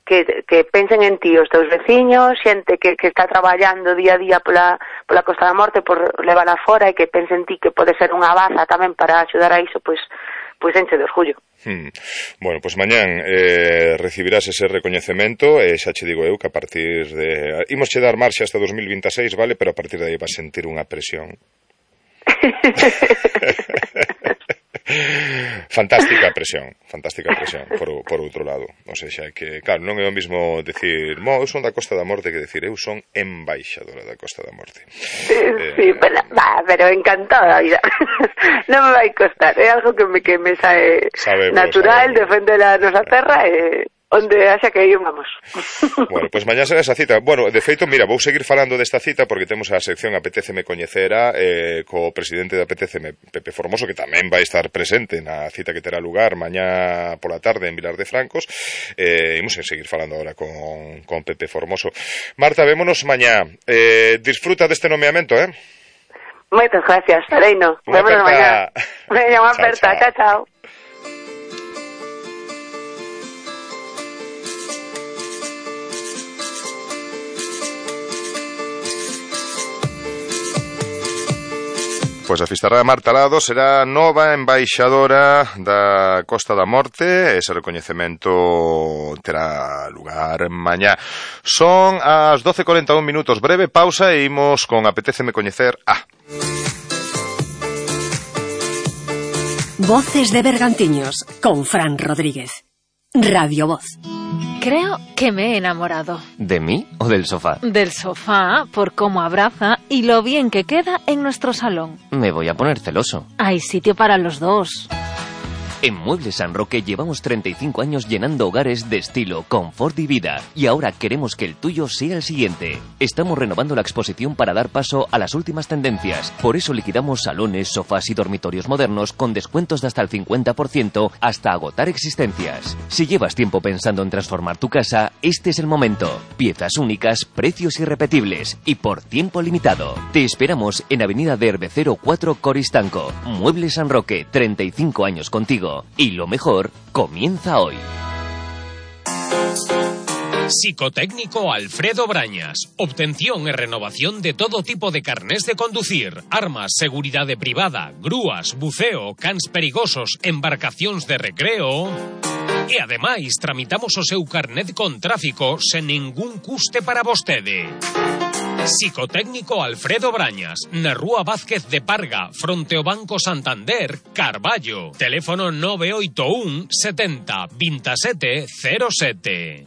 que pensen en ti, os teus veciños, xente que está traballando día a día pola Costa da Morte por levala fora e que pensen en ti que pode ser unha baza tamén para axudar a iso, pois enche de orgullo. Bueno, pois mañán recibirás ese recoñecemento e xa che digo eu que a partir de... Imos che dar marxa hasta 2026, vale? Pero a partir de aí vas sentir unha presión. Fantástica presión por outro lado, o sea que claro, non é o mismo decir eu son da Costa da Morte que decir eu son embaixadora da Costa da Morte. Sí, pero encantada vida. Non me vai costar, é algo que me sae natural, defender a nosa terra e onde haxa que ir, vamos. Bueno, pois mañá será esa cita. Bueno, de feito, mira, vou seguir falando desta cita porque temos a sección Apetéceme Coñecera co presidente de Apetéceme, Pepe Formoso, que tamén vai estar presente na cita que terá lugar mañá pola tarde en Vilar de Francos. Imos seguir falando agora con Pepe Formoso. Marta, vémonos mañá. Disfruta deste nomeamento, Moitas gracias, Reino. Vémonos mañá. Veña, unha aperta. Chao. Pois a Fisterra Marta Lado será nova embaixadora da Costa da Morte. Ese recoñecemento terá lugar mañá. Son as 12:41 minutos. Breve pausa e imos con Apetéceme Coñecer A. Voces de Bergantiños con Fran Rodríguez. Radio Voz. Creo que me he enamorado. ¿De mí o del sofá? Del sofá, por cómo abraza y lo bien que queda en nuestro salón. Me voy a poner celoso. Hay sitio para los dos. En Muebles San Roque llevamos 35 años llenando hogares de estilo, confort y vida. Y ahora queremos que el tuyo sea el siguiente. Estamos renovando la exposición para dar paso a las últimas tendencias. Por eso liquidamos salones, sofás y dormitorios modernos con descuentos de hasta el 50% hasta agotar existencias. Si llevas tiempo pensando en transformar tu casa, este es el momento. Piezas únicas, precios irrepetibles y por tiempo limitado. Te esperamos en Avenida de Herbecero 4 Coristanco. Muebles San Roque, 35 años contigo. Y lo mejor comienza hoy. Psicotécnico Alfredo Brañas. Obtención e renovación de todo tipo de carnés de conducir, armas, seguridade privada, grúas, buceo, cans perigosos, embarcacións de recreo. E ademais tramitamos o seu carnet con tráfico sen ningún custe para vostede. Psicotécnico Alfredo Brañas, na Rúa Vázquez de Parga, fronte ao Banco Santander, Carballo. Teléfono 981 70 27 07.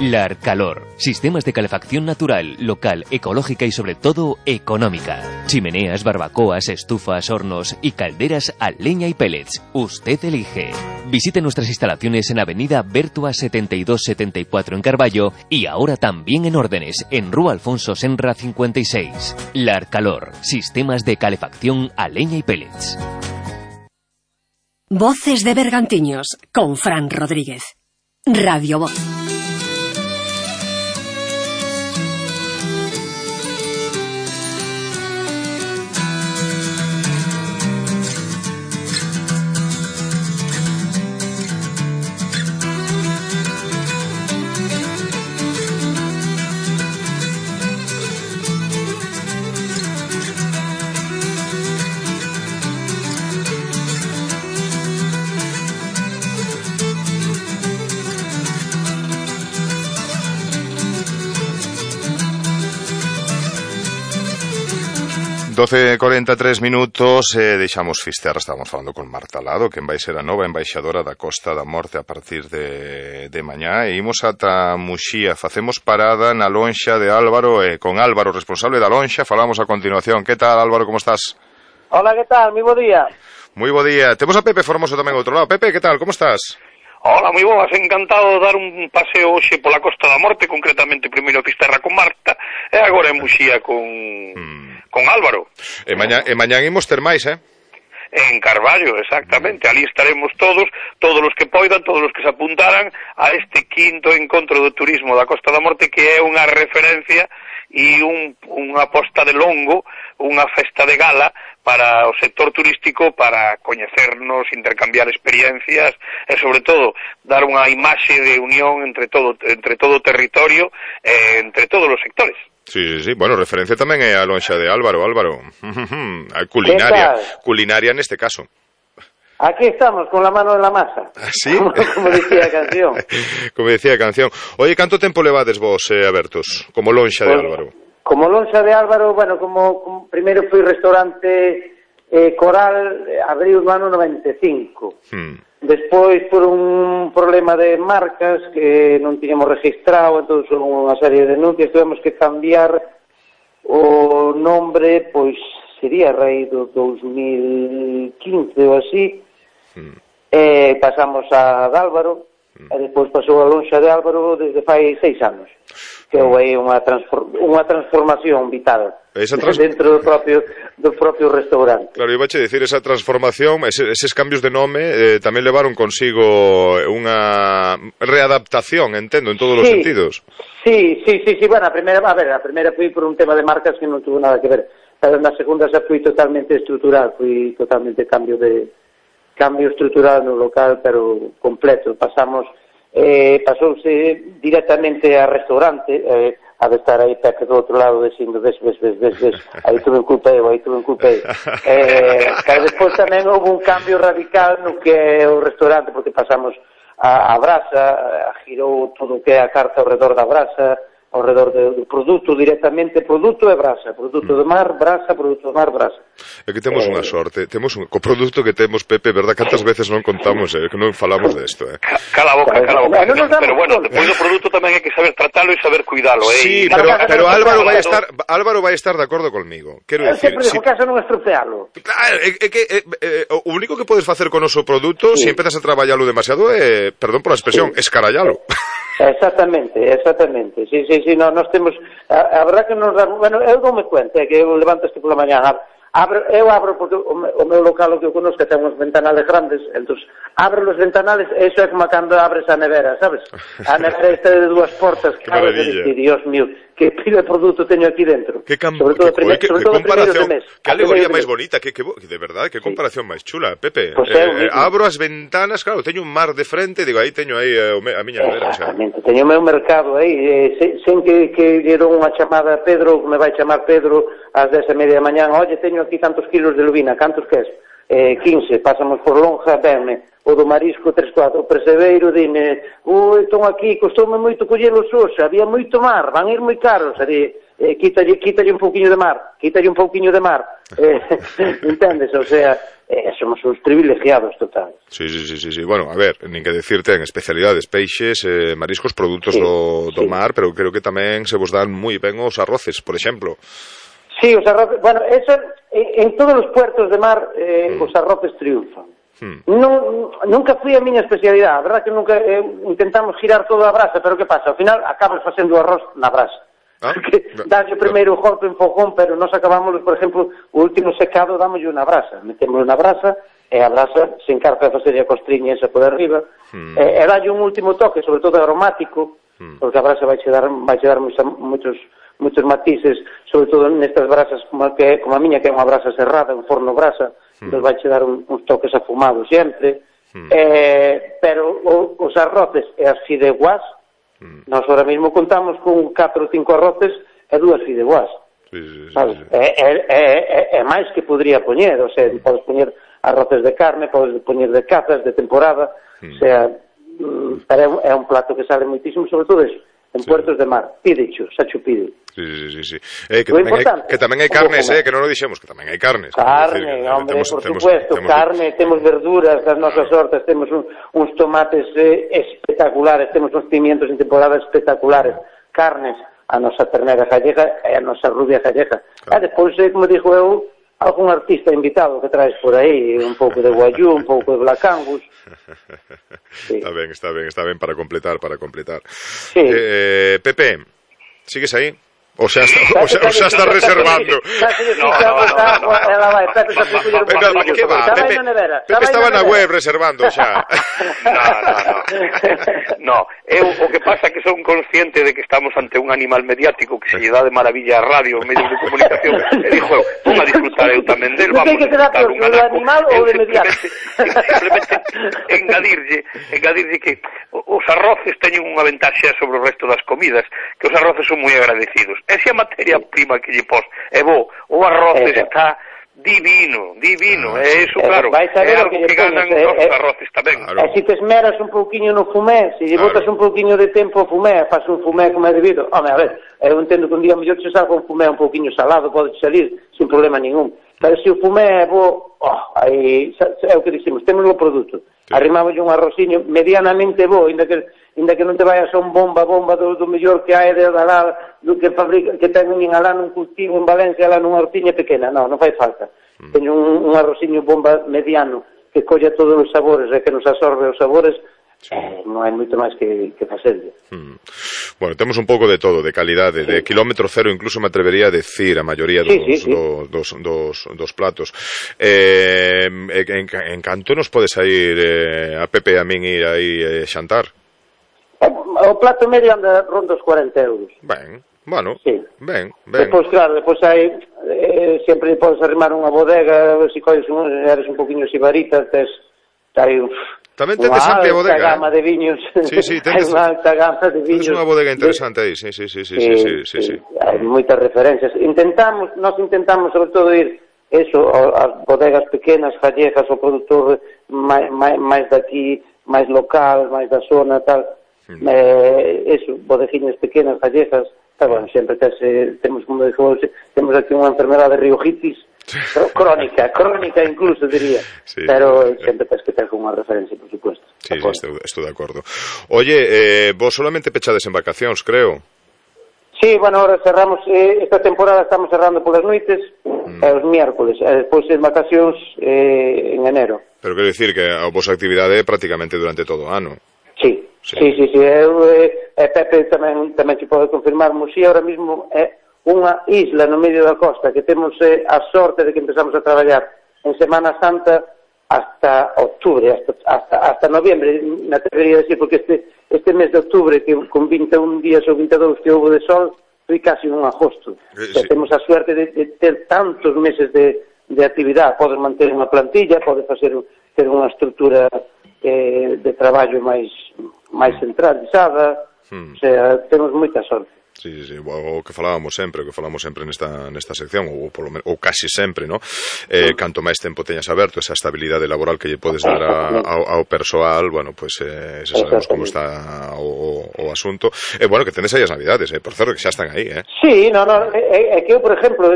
Larcalor. Sistemas de calefacción natural, local, ecológica y sobre todo económica. Chimeneas, barbacoas, estufas, hornos y calderas a leña y pellets. Usted elige. Visite nuestras instalaciones en Avenida Bertua 7274 en Carballo y ahora también en Órdenes, en Rúa Alfonso Senra 56. Larcalor. Sistemas de calefacción a leña y pellets. Voces de Bergantiños con Fran Rodríguez. Radio Voz. ...12:43 minutos, deixamos Fisterra, estábamos falando con Marta Lado, que vai ser a nova embaixadora da Costa da Morte a partir de mañá, e imos ata Muxía, facemos parada na lonxa de Álvaro, e con Álvaro, responsable da lonxa, falamos a continuación. Que tal, Álvaro, como estás? Hola, que tal? Moi bo día. Moi bo día. Temos a Pepe Formoso tamén ao outro lado. Pepe, que tal, como estás? Hola, moi boas, encantado de dar un paseo hoxe pola Costa da Morte, concretamente primeiro a Fisterra con Marta, e agora en Muxía con Álvaro. E mañán imos ter máis, En Carballo, exactamente. Ali estaremos todos os que poidan, todos os que se apuntaran a este quinto encontro do turismo da Costa da Morte, que é unha referencia e unha posta de longo, unha festa de gala para o sector turístico, para coñecernos, intercambiar experiencias e, sobre todo, dar unha imaxe de unión entre todo o territorio, entre todos os sectores. Sí. Bueno, referencia tamén é a lonxa de Álvaro. A culinaria neste caso. Aquí estamos, con la mano en la masa. ¿Sí? Como decía a canción. Como decía a canción. Oye, canto tempo levades vos abertos, como lonxa de Álvaro? Como lonxa de Álvaro, bueno, como primeiro foi restaurante Coral, abriu no ano 95. Despois, por un problema de marcas que non tiñamos registrado, entón son unha serie de denuncias, tivemos que cambiar o nombre, pois sería a raíz do 2015 ou así, pasamos a Álvaro, e despois pasou a lonxa de Álvaro desde fai 6 anos, que é unha transformación vital dentro do propio restaurante. Claro, iba a dicir, esa transformación, eses cambios de nome tamén levaron consigo unha readaptación, entendo, en todos os sentidos. Sí, bueno, a primeira foi por un tema de marcas que non tuvo nada que ver, pero na segunda xa foi totalmente estrutural, foi totalmente cambio estrutural no local, pero completo. Pasouse directamente a restaurante, a de estar aí Pepe do outro lado dicindo ves, aí tuve un culpeo. Pero despois tamén houve un cambio radical no que é o restaurante, porque pasamos a brasa, girou todo o que é a carta ao redor da brasa, ao redor do produto directamente, produto e brasa, produto do mar, brasa, produto do mar, brasa. É que temos unha sorte, co produto que temos, Pepe, verdad, cantas veces non contamos, que non falamos desto, Cala a boca. Pero bueno, depois do produto tamén hai que saber tratalo e saber cuidalo, Sí, pero Álvaro vai estar de acordo conmigo. Quero decir, sempre digo que non estropealo. Claro, é que o único que podes facer con o noso produto, se empezas a traballalo demasiado, perdón por a expresión, escarallalo. Exactamente. Sí, nós temos, a verdad que nos damos, bueno, eu non me cuento, que eu levanto este pola mañá, eu abro porque o meu local, o que eu conozco, ten uns ventanales grandes, entón abro os ventanales, e iso é como cando abres a nevera, sabes? A nevera esta de 2 portas, que abres e dices, Dios mío, que pila de produto teño aquí dentro. Que comparación, que alegoría máis bonita, que de verdade, que comparación máis chula, Pepe. Abro as ventanas, claro, teño un mar de frente, digo, aí teño aí a miña nevera. Exactamente, teño o meu mercado aí, sen que dieron unha chamada a Pedro, me vai chamar Pedro ás 10:30 da mañán, oye, teño aquí tantos kilos de lubina, cantos que es? 15, pasamos por lonja, venme, o do marisco 3-4, o percebeiro, dime, entón aquí, costoume moito collelo xoxa, había moito mar, van ir moi caros, quítalle un pouquiño de mar, entendes, o sea, somos uns privilegiados total. Sí, bueno, a ver, nin que decirte en especialidades, peixes, mariscos, produtos do mar, pero creo que tamén se vos dan moi ben os arroces, por exemplo. Sí, os arroces, bueno, eso, en todos os puertos de mar os arroces triunfan. Nunca fui a miña especialidade, a verdad que nunca intentamos girar toda a brasa, pero que pasa? Ao final acabas facendo arroz na brasa. Dalle primeiro o golpe en fogón, pero nós acabamos, por exemplo, o último secado dámoslle unha brasa, metemos na brasa e a brasa se encarga de facer a costriña esa por arriba, e dalle un último toque, sobre todo aromático, porque a brasa vai che dar moitos matices, sobre todo nestas brasas como a miña, que é unha brasa cerrada, un forno brasa, entón vai che dar uns toques afumados sempre, pero os arroces e as fideuás, nós ahora mesmo contamos con 4 ou 5 arroces e 2 fideuás. É máis que podría poñer, o sea, podes poñer arroces de carne, podes poñer de cazas, de temporada, o sea, pero é un plato que sale moitísimo, sobre todo eso, en puertos de mar, pídecho, sacho pide. Sí. Que tamén hai carnes, que non o dixemos, que tamén hai carnes. Carne, hombre, por supuesto, carne, temos verduras das nosas hortas, temos uns tomates espectaculares, temos uns pimientos en temporada espectaculares, carnes, a nosa ternera gallega e a nosa rubia gallega. E despois, como dixo eu, algún artista invitado que traes por aí, un pouco de guayú, un pouco de Black Angus. Sí. Está ben para completar. Sí. Pepe, sigues aí? O xa está reservando. Pepe estaba na web reservando xa. No, eu o que pasa é que son consciente de que estamos ante un animal mediático que se lle dá de maravilla a radio, medios de comunicación, e dixo, vou a disfrutar eu tamén del, vamos a disfrutar un animal ou de mediático. Simplemente engadirlle que os arroces teñen unha ventaxa sobre o resto das comidas, que os arroces son moi agradecidos. E se a materia prima que lle pos é bo, o arroz está divino, e iso, claro, é algo que ganan os arroces tamén. E se te esmeras un pouquiño no fumé, se lle botas un pouquiño de tempo ao fumé, faz un fumé como é debido, home, a ver, eu entendo que un día mellor se salga un fumé un pouquiño salado, pode salir sin problema ningún, pero se o fumé é bo, aí é o que dicimos, temos o produto, arrimamos un arrociño medianamente bo, inda que non te vayas a un bomba do mellor que hai de alá, do que fabrica, que ten un alá nun cultivo en Valencia, alá nunha hortiña pequena, non fai falta. Teño un arrociño bomba mediano que colla todos os sabores e que nos absorbe os sabores, non hai moito máis que facerlle. Bueno, temos un pouco de todo, de calidade, de kilómetro cero, incluso me atrevería a decir a maioría dos platos. En canto nos pode sair a Pepe e a min ir aí xantar? O plato medio anda ronda os 40 euros. Ben, bueno, ben. Depois, claro, hai sempre podes arrimar unha bodega, se colles eres un poquinho sibarita, hai tamén tendes amplia bodega. Unha gama de viños. Sí, tendes unha alta gama de viños. Tendes unha bodega interesante aí, sí. Hai moitas referencias. Nós intentamos sobre todo ir ás bodegas pequenas, gallegas, o produtor máis daqui, máis local, máis da zona, tal. Bodeguiñas pequenas, gallegas, bueno, sempre temos como digo, temos aquí unha enfermedade de riojitis crónica incluso diría, pero sempre tens que ter unha referencia, por supuesto. Sí, estou de acordo. Oye, vos solamente pechades en vacacións, creo. Sí, bueno, ahora cerramos esta temporada, estamos cerrando polas noites os miércoles, e despois en vacacións en enero. Pero quero dicir que a vosa actividade é prácticamente durante todo o ano. Sí. Eu Pepe tamén se pode confirmar. Muxía ahora mismo é unha isla no medio da costa que temos a sorte de que empezamos a traballar en Semana Santa hasta octubre, hasta noviembre, me atrevería a decir, porque este mes de octubre, que con 21 días ou 22 que houve de sol, foi casi un agosto. Temos a suerte de ter tantos meses de actividade. Podes manter unha plantilla, podes ter unha estrutura de traballo máis centralizada, o sea, temos moita sorte. Sí, o que falábamos sempre nesta sección, ou casi sempre, ¿no? Canto máis tempo teñas aberto, esa estabilidade laboral que lle podes dar ao persoal, bueno, pues sabemos como está o asunto. Bueno, que tenes aí as navidades, por certo, que xa están aí, Sí, é que eu, por exemplo,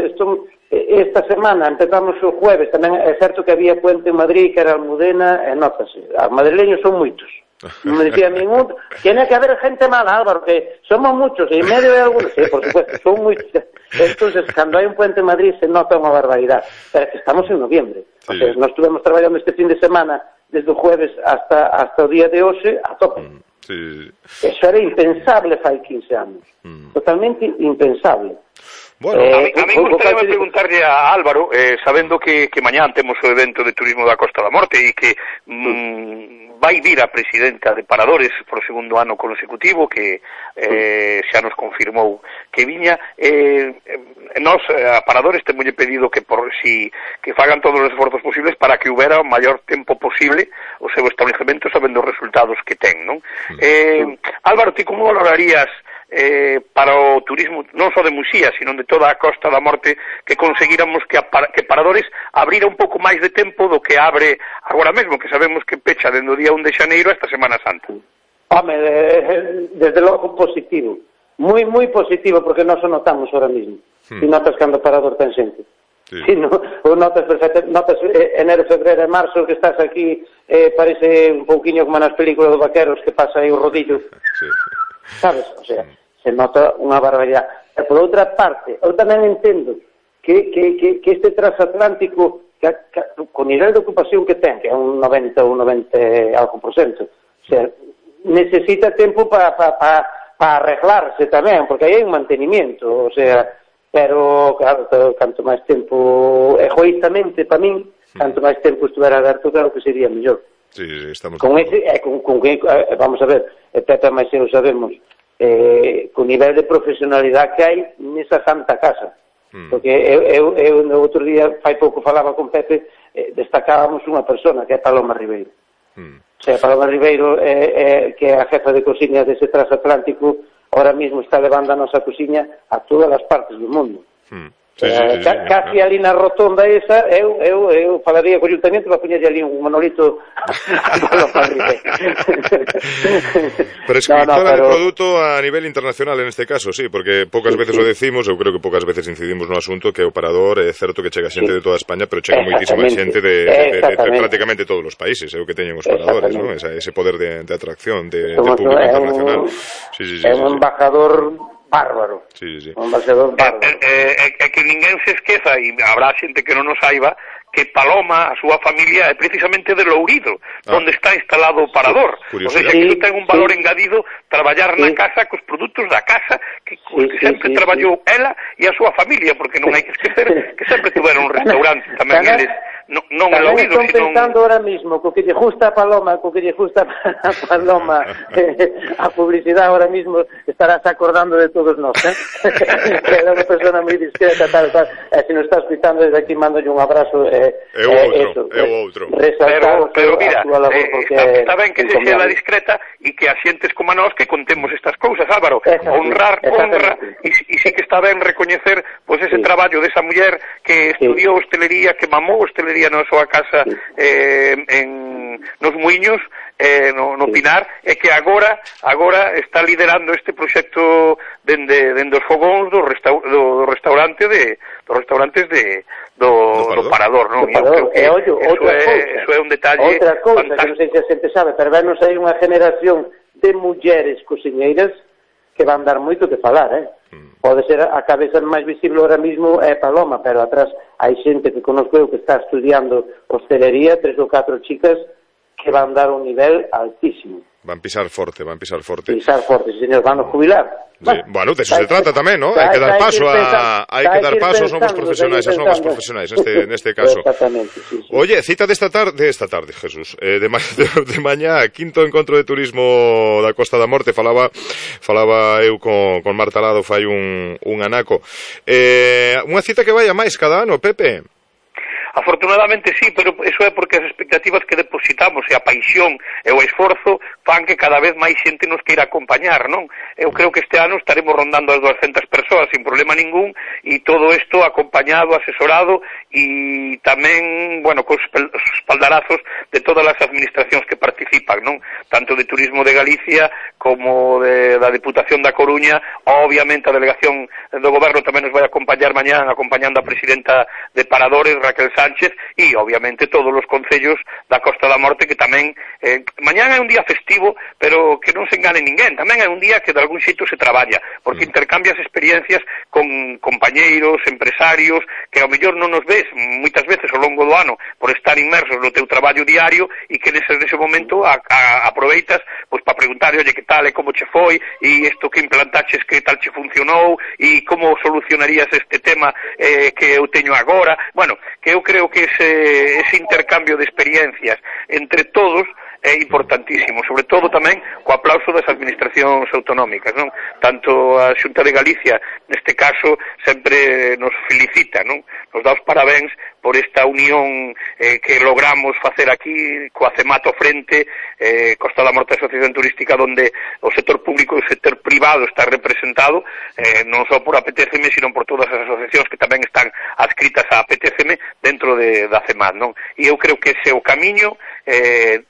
esta semana empezamos o jueves, tamén é certo que había puente en Madrid, que era Almudena, e notase, os madrileños son moitos. Me decía ningún, tiene que haber gente mala, Álvaro, que somos muchos, y en medio de algunos, sí, por supuesto, son muchos. Entonces, cando hai un puente en Madrid se nota unha barbaridade, pero que estamos en noviembre. O sea, nós estuvemos traballando este fin de semana desde o jueves hasta o día de hoxe a tope. Eso era impensable fai 15 anos, totalmente impensable. Bueno, a mí gustaría preguntarlle a Álvaro, sabendo que mañán temos o evento de turismo da Costa da Morte e que vai vir a presidenta de Paradores por o segundo ano consecutivo, que xa nos confirmou que viña. Nós, a Paradores, temolle pedido que fagan todos os esforzos posibles para que houbera o maior tempo posible o seu establecemento sabendo os resultados que ten, non? Álvaro, ti como valorarías para o turismo non só de Muxía, sino de toda a Costa da Morte, que conseguíramos que Paradores abrira un pouco máis de tempo do que abre agora mesmo, que sabemos que pecha dende o día 1 de xaneiro hasta Semana Santa? Home, desde logo positivo, moi positivo, porque nós o notamos ahora mismo, e notas cando Parador ten xente. Sí, o notas perfecto, notas enero, febreiro e marzo que estás aquí, parece un pouquiño como nas películas dos vaqueros que pasa aí o rodillo. Sabes? O sea, se nota unha barbaridade. E por outra parte, eu tamén entendo que este transatlántico, con nivel de ocupación que ten, que é un 90 ou 90 algo por cento, o sea, necesita tempo para arreglarse tamén, porque aí hai un mantenimiento, o sea, pero, claro, canto máis tempo, egoístamente, para min, canto máis tempo estuvera aberto, claro que sería mellor. Sí, estamos... Con ese, vamos a ver, Pepe máis eu sabemos, co nivel de profesionalidade que hai nesa santa casa. Porque eu no outro día, fai pouco falaba con Pepe, destacábamos unha persona, que é Paloma Ribeiro. O sea, Paloma Ribeiro, que é a jefa de cociña dese transatlántico, ahora mismo está levando a nosa cociña a todas as partes do mundo. Casi ali na rotonda esa, eu falaría co ayuntamiento para poñerlle ali un monolito a Paloma Ribeiro. Prescriptora de produto a nivel internacional en este caso, sí, porque poucas veces o decimos, eu creo que poucas veces incidimos no asunto, que o Parador é certo que chega xente de toda España, pero chega moitísima xente de prácticamente todos os países, é o que teñen os paradores, ¿no? Ese poder de atracción de público internacional. É un embajador bárbaro. Un embaixador bárbaro. Que ninguén se esqueza, e habrá xente que non o saiba, que Paloma, a súa familia, é precisamente de Lourido, onde está instalado o Parador. O sea, que iso ten un valor engadido traballar na casa cos produtos da casa que sempre traballou ela e a súa familia, porque non hai que esquecer que sempre tuveron un restaurante tamén eles, non en Lourido, sino... Están pensando ahora mismo, co que lle justa a Paloma, a publicidade ahora mismo estarás acordando de todos nós, que era unha persona moi discreta, tal. E se nos está escuchando desde aquí, mando un abrazo. Outro. Pero mira, está ben que se sea la discreta e que a xentes como a nós que contemos estas cousas, Álvaro. Honra, e sí que está ben recoñecer pois ese traballo desa muller que estudiou hostelería, que mamou hostelería na súa casa nos Muiños, no Pinar, e que agora está liderando este proxecto dende os fogóns dos restaurantes do Parador, non? Eso é un detalle outra cousa que non sei se a xente sabe, pero venos aí unha generación de mulleres cociñeiras que van dar moito que falar, Pode ser a cabeza máis visible ahora mismo é Paloma, pero atrás hai xente que conozco eu que está estudiando hostelería, 3 ou 4 chicas que van dar un nivel altísimo. Van pisar forte. Pisar forte, sí, señor, van a jubilar. Sí. Bueno, de eso se trata tamén, ¿no? Hai que dar paso somos profesionais, as novas profesionais neste caso. Exactamente, sí. Oye, cita desta tarde, Jesús, de mañá, quinto encontro de turismo da Costa da Morte, falaba eu con Marta Lado fai un anaco. Unha cita que vai a máis cada ano, Pepe. Afortunadamente sí, pero eso é porque as expectativas que depositamos e a paixón e o esforzo fan que cada vez máis xente nos queira acompañar, non? Eu creo que este ano estaremos rondando as 200 persoas sin problema ningún, e todo isto acompañado, asesorado e tamén, bueno, cos espaldarazos de todas as administracións que participan, non? Tanto de Turismo de Galicia como da Deputación da Coruña, obviamente a delegación do Goberno tamén nos vai acompañar mañán, acompañando a presidenta de Paradores, Raquel Sánchez, e obviamente todos os concellos da Costa da Morte que tamén mañán é un día festivo, pero que non se engane ninguén, tamén é un día que de algún xeito se traballa, porque intercambias experiencias con compañeiros, empresarios, que ao mellor non nos ves moitas veces ao longo do ano por estar inmersos no teu traballo diario, e que nese momento aproveitas pois para preguntar, oye, que tal, e como che foi, e isto que implantaches, que tal che funcionou, e como solucionarías este tema que eu teño agora. Bueno, que eu creo que ese intercambio de experiencias entre todos é importantísimo, sobre todo tamén co aplauso das administracións autonómicas, non? Tanto a Xunta de Galicia, neste caso, sempre nos felicita, non? Nos dá os parabéns por esta unión que logramos facer aquí coa CEMAT frente, Costa da Morte Asociación Turística, donde o sector público e o sector privado está representado, non só por a PTCM, sino por todas as asociacións que tamén están adscritas á PTCM dentro da CEMAT, non? E eu creo que ese é o camiño,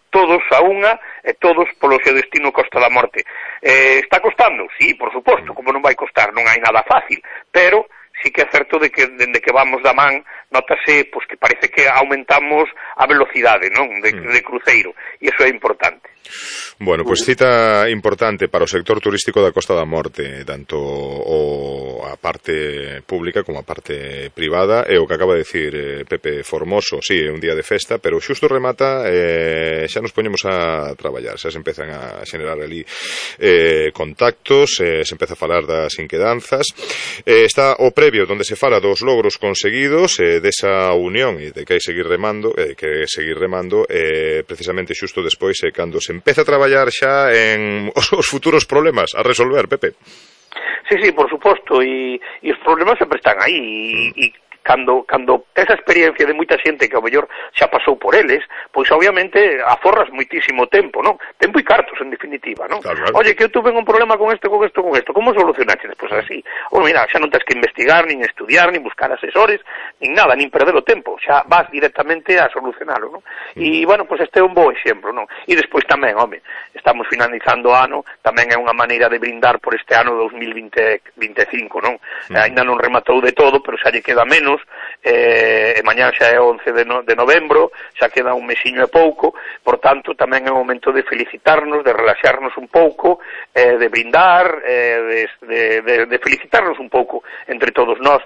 todos a unha, e todos polo seu destino Costa da Morte. Está costando? Sí, por suposto, como non vai costar, non hai nada fácil, pero sí que é certo de que dende que vamos da man notase pois que parece que aumentamos a velocidade, non, de cruceiro, e iso é importante. Bueno, pois cita importante para o sector turístico da Costa da Morte, tanto a parte pública como a parte privada, e o que acaba de dicir Pepe Formoso, sí, é un día de festa, pero xusto remata, xa nos poñemos a traballar, xa se empezan a xenerar ali contactos, se empeza a falar das inquedanzas, está o previo onde se fala dos logros conseguidos, desa unión e de que hai seguir remando, precisamente xusto despois cando se empeza a traballar xa en os futuros problemas a resolver, Pepe. Sí, por suposto, e os problemas sempre están aí, e cando esa experiencia de moita xente que ao mellor xa pasou por eles, pois obviamente aforras moitísimo tempo, non? Tempo e cartos, en definitiva, non? Claro. Oye, que eu tuve un problema con isto, como solucionaste? Pois así, mira, xa non tens que investigar, nin estudiar, nin buscar asesores, nin nada, nin perder o tempo, xa vas directamente a solucionalo, non? E, bueno, pois este é un bo exemplo, non? E despois tamén, estamos finalizando o ano, tamén é unha maneira de brindar por este ano 2025, non? Ainda non rematou de todo, pero xa lle queda menos, e mañá xa é 11 de novembro, xa queda un mesiño e pouco, por tanto tamén é o momento de felicitarnos, de relaxarnos un pouco, de brindar, de felicitarnos un pouco entre todos nós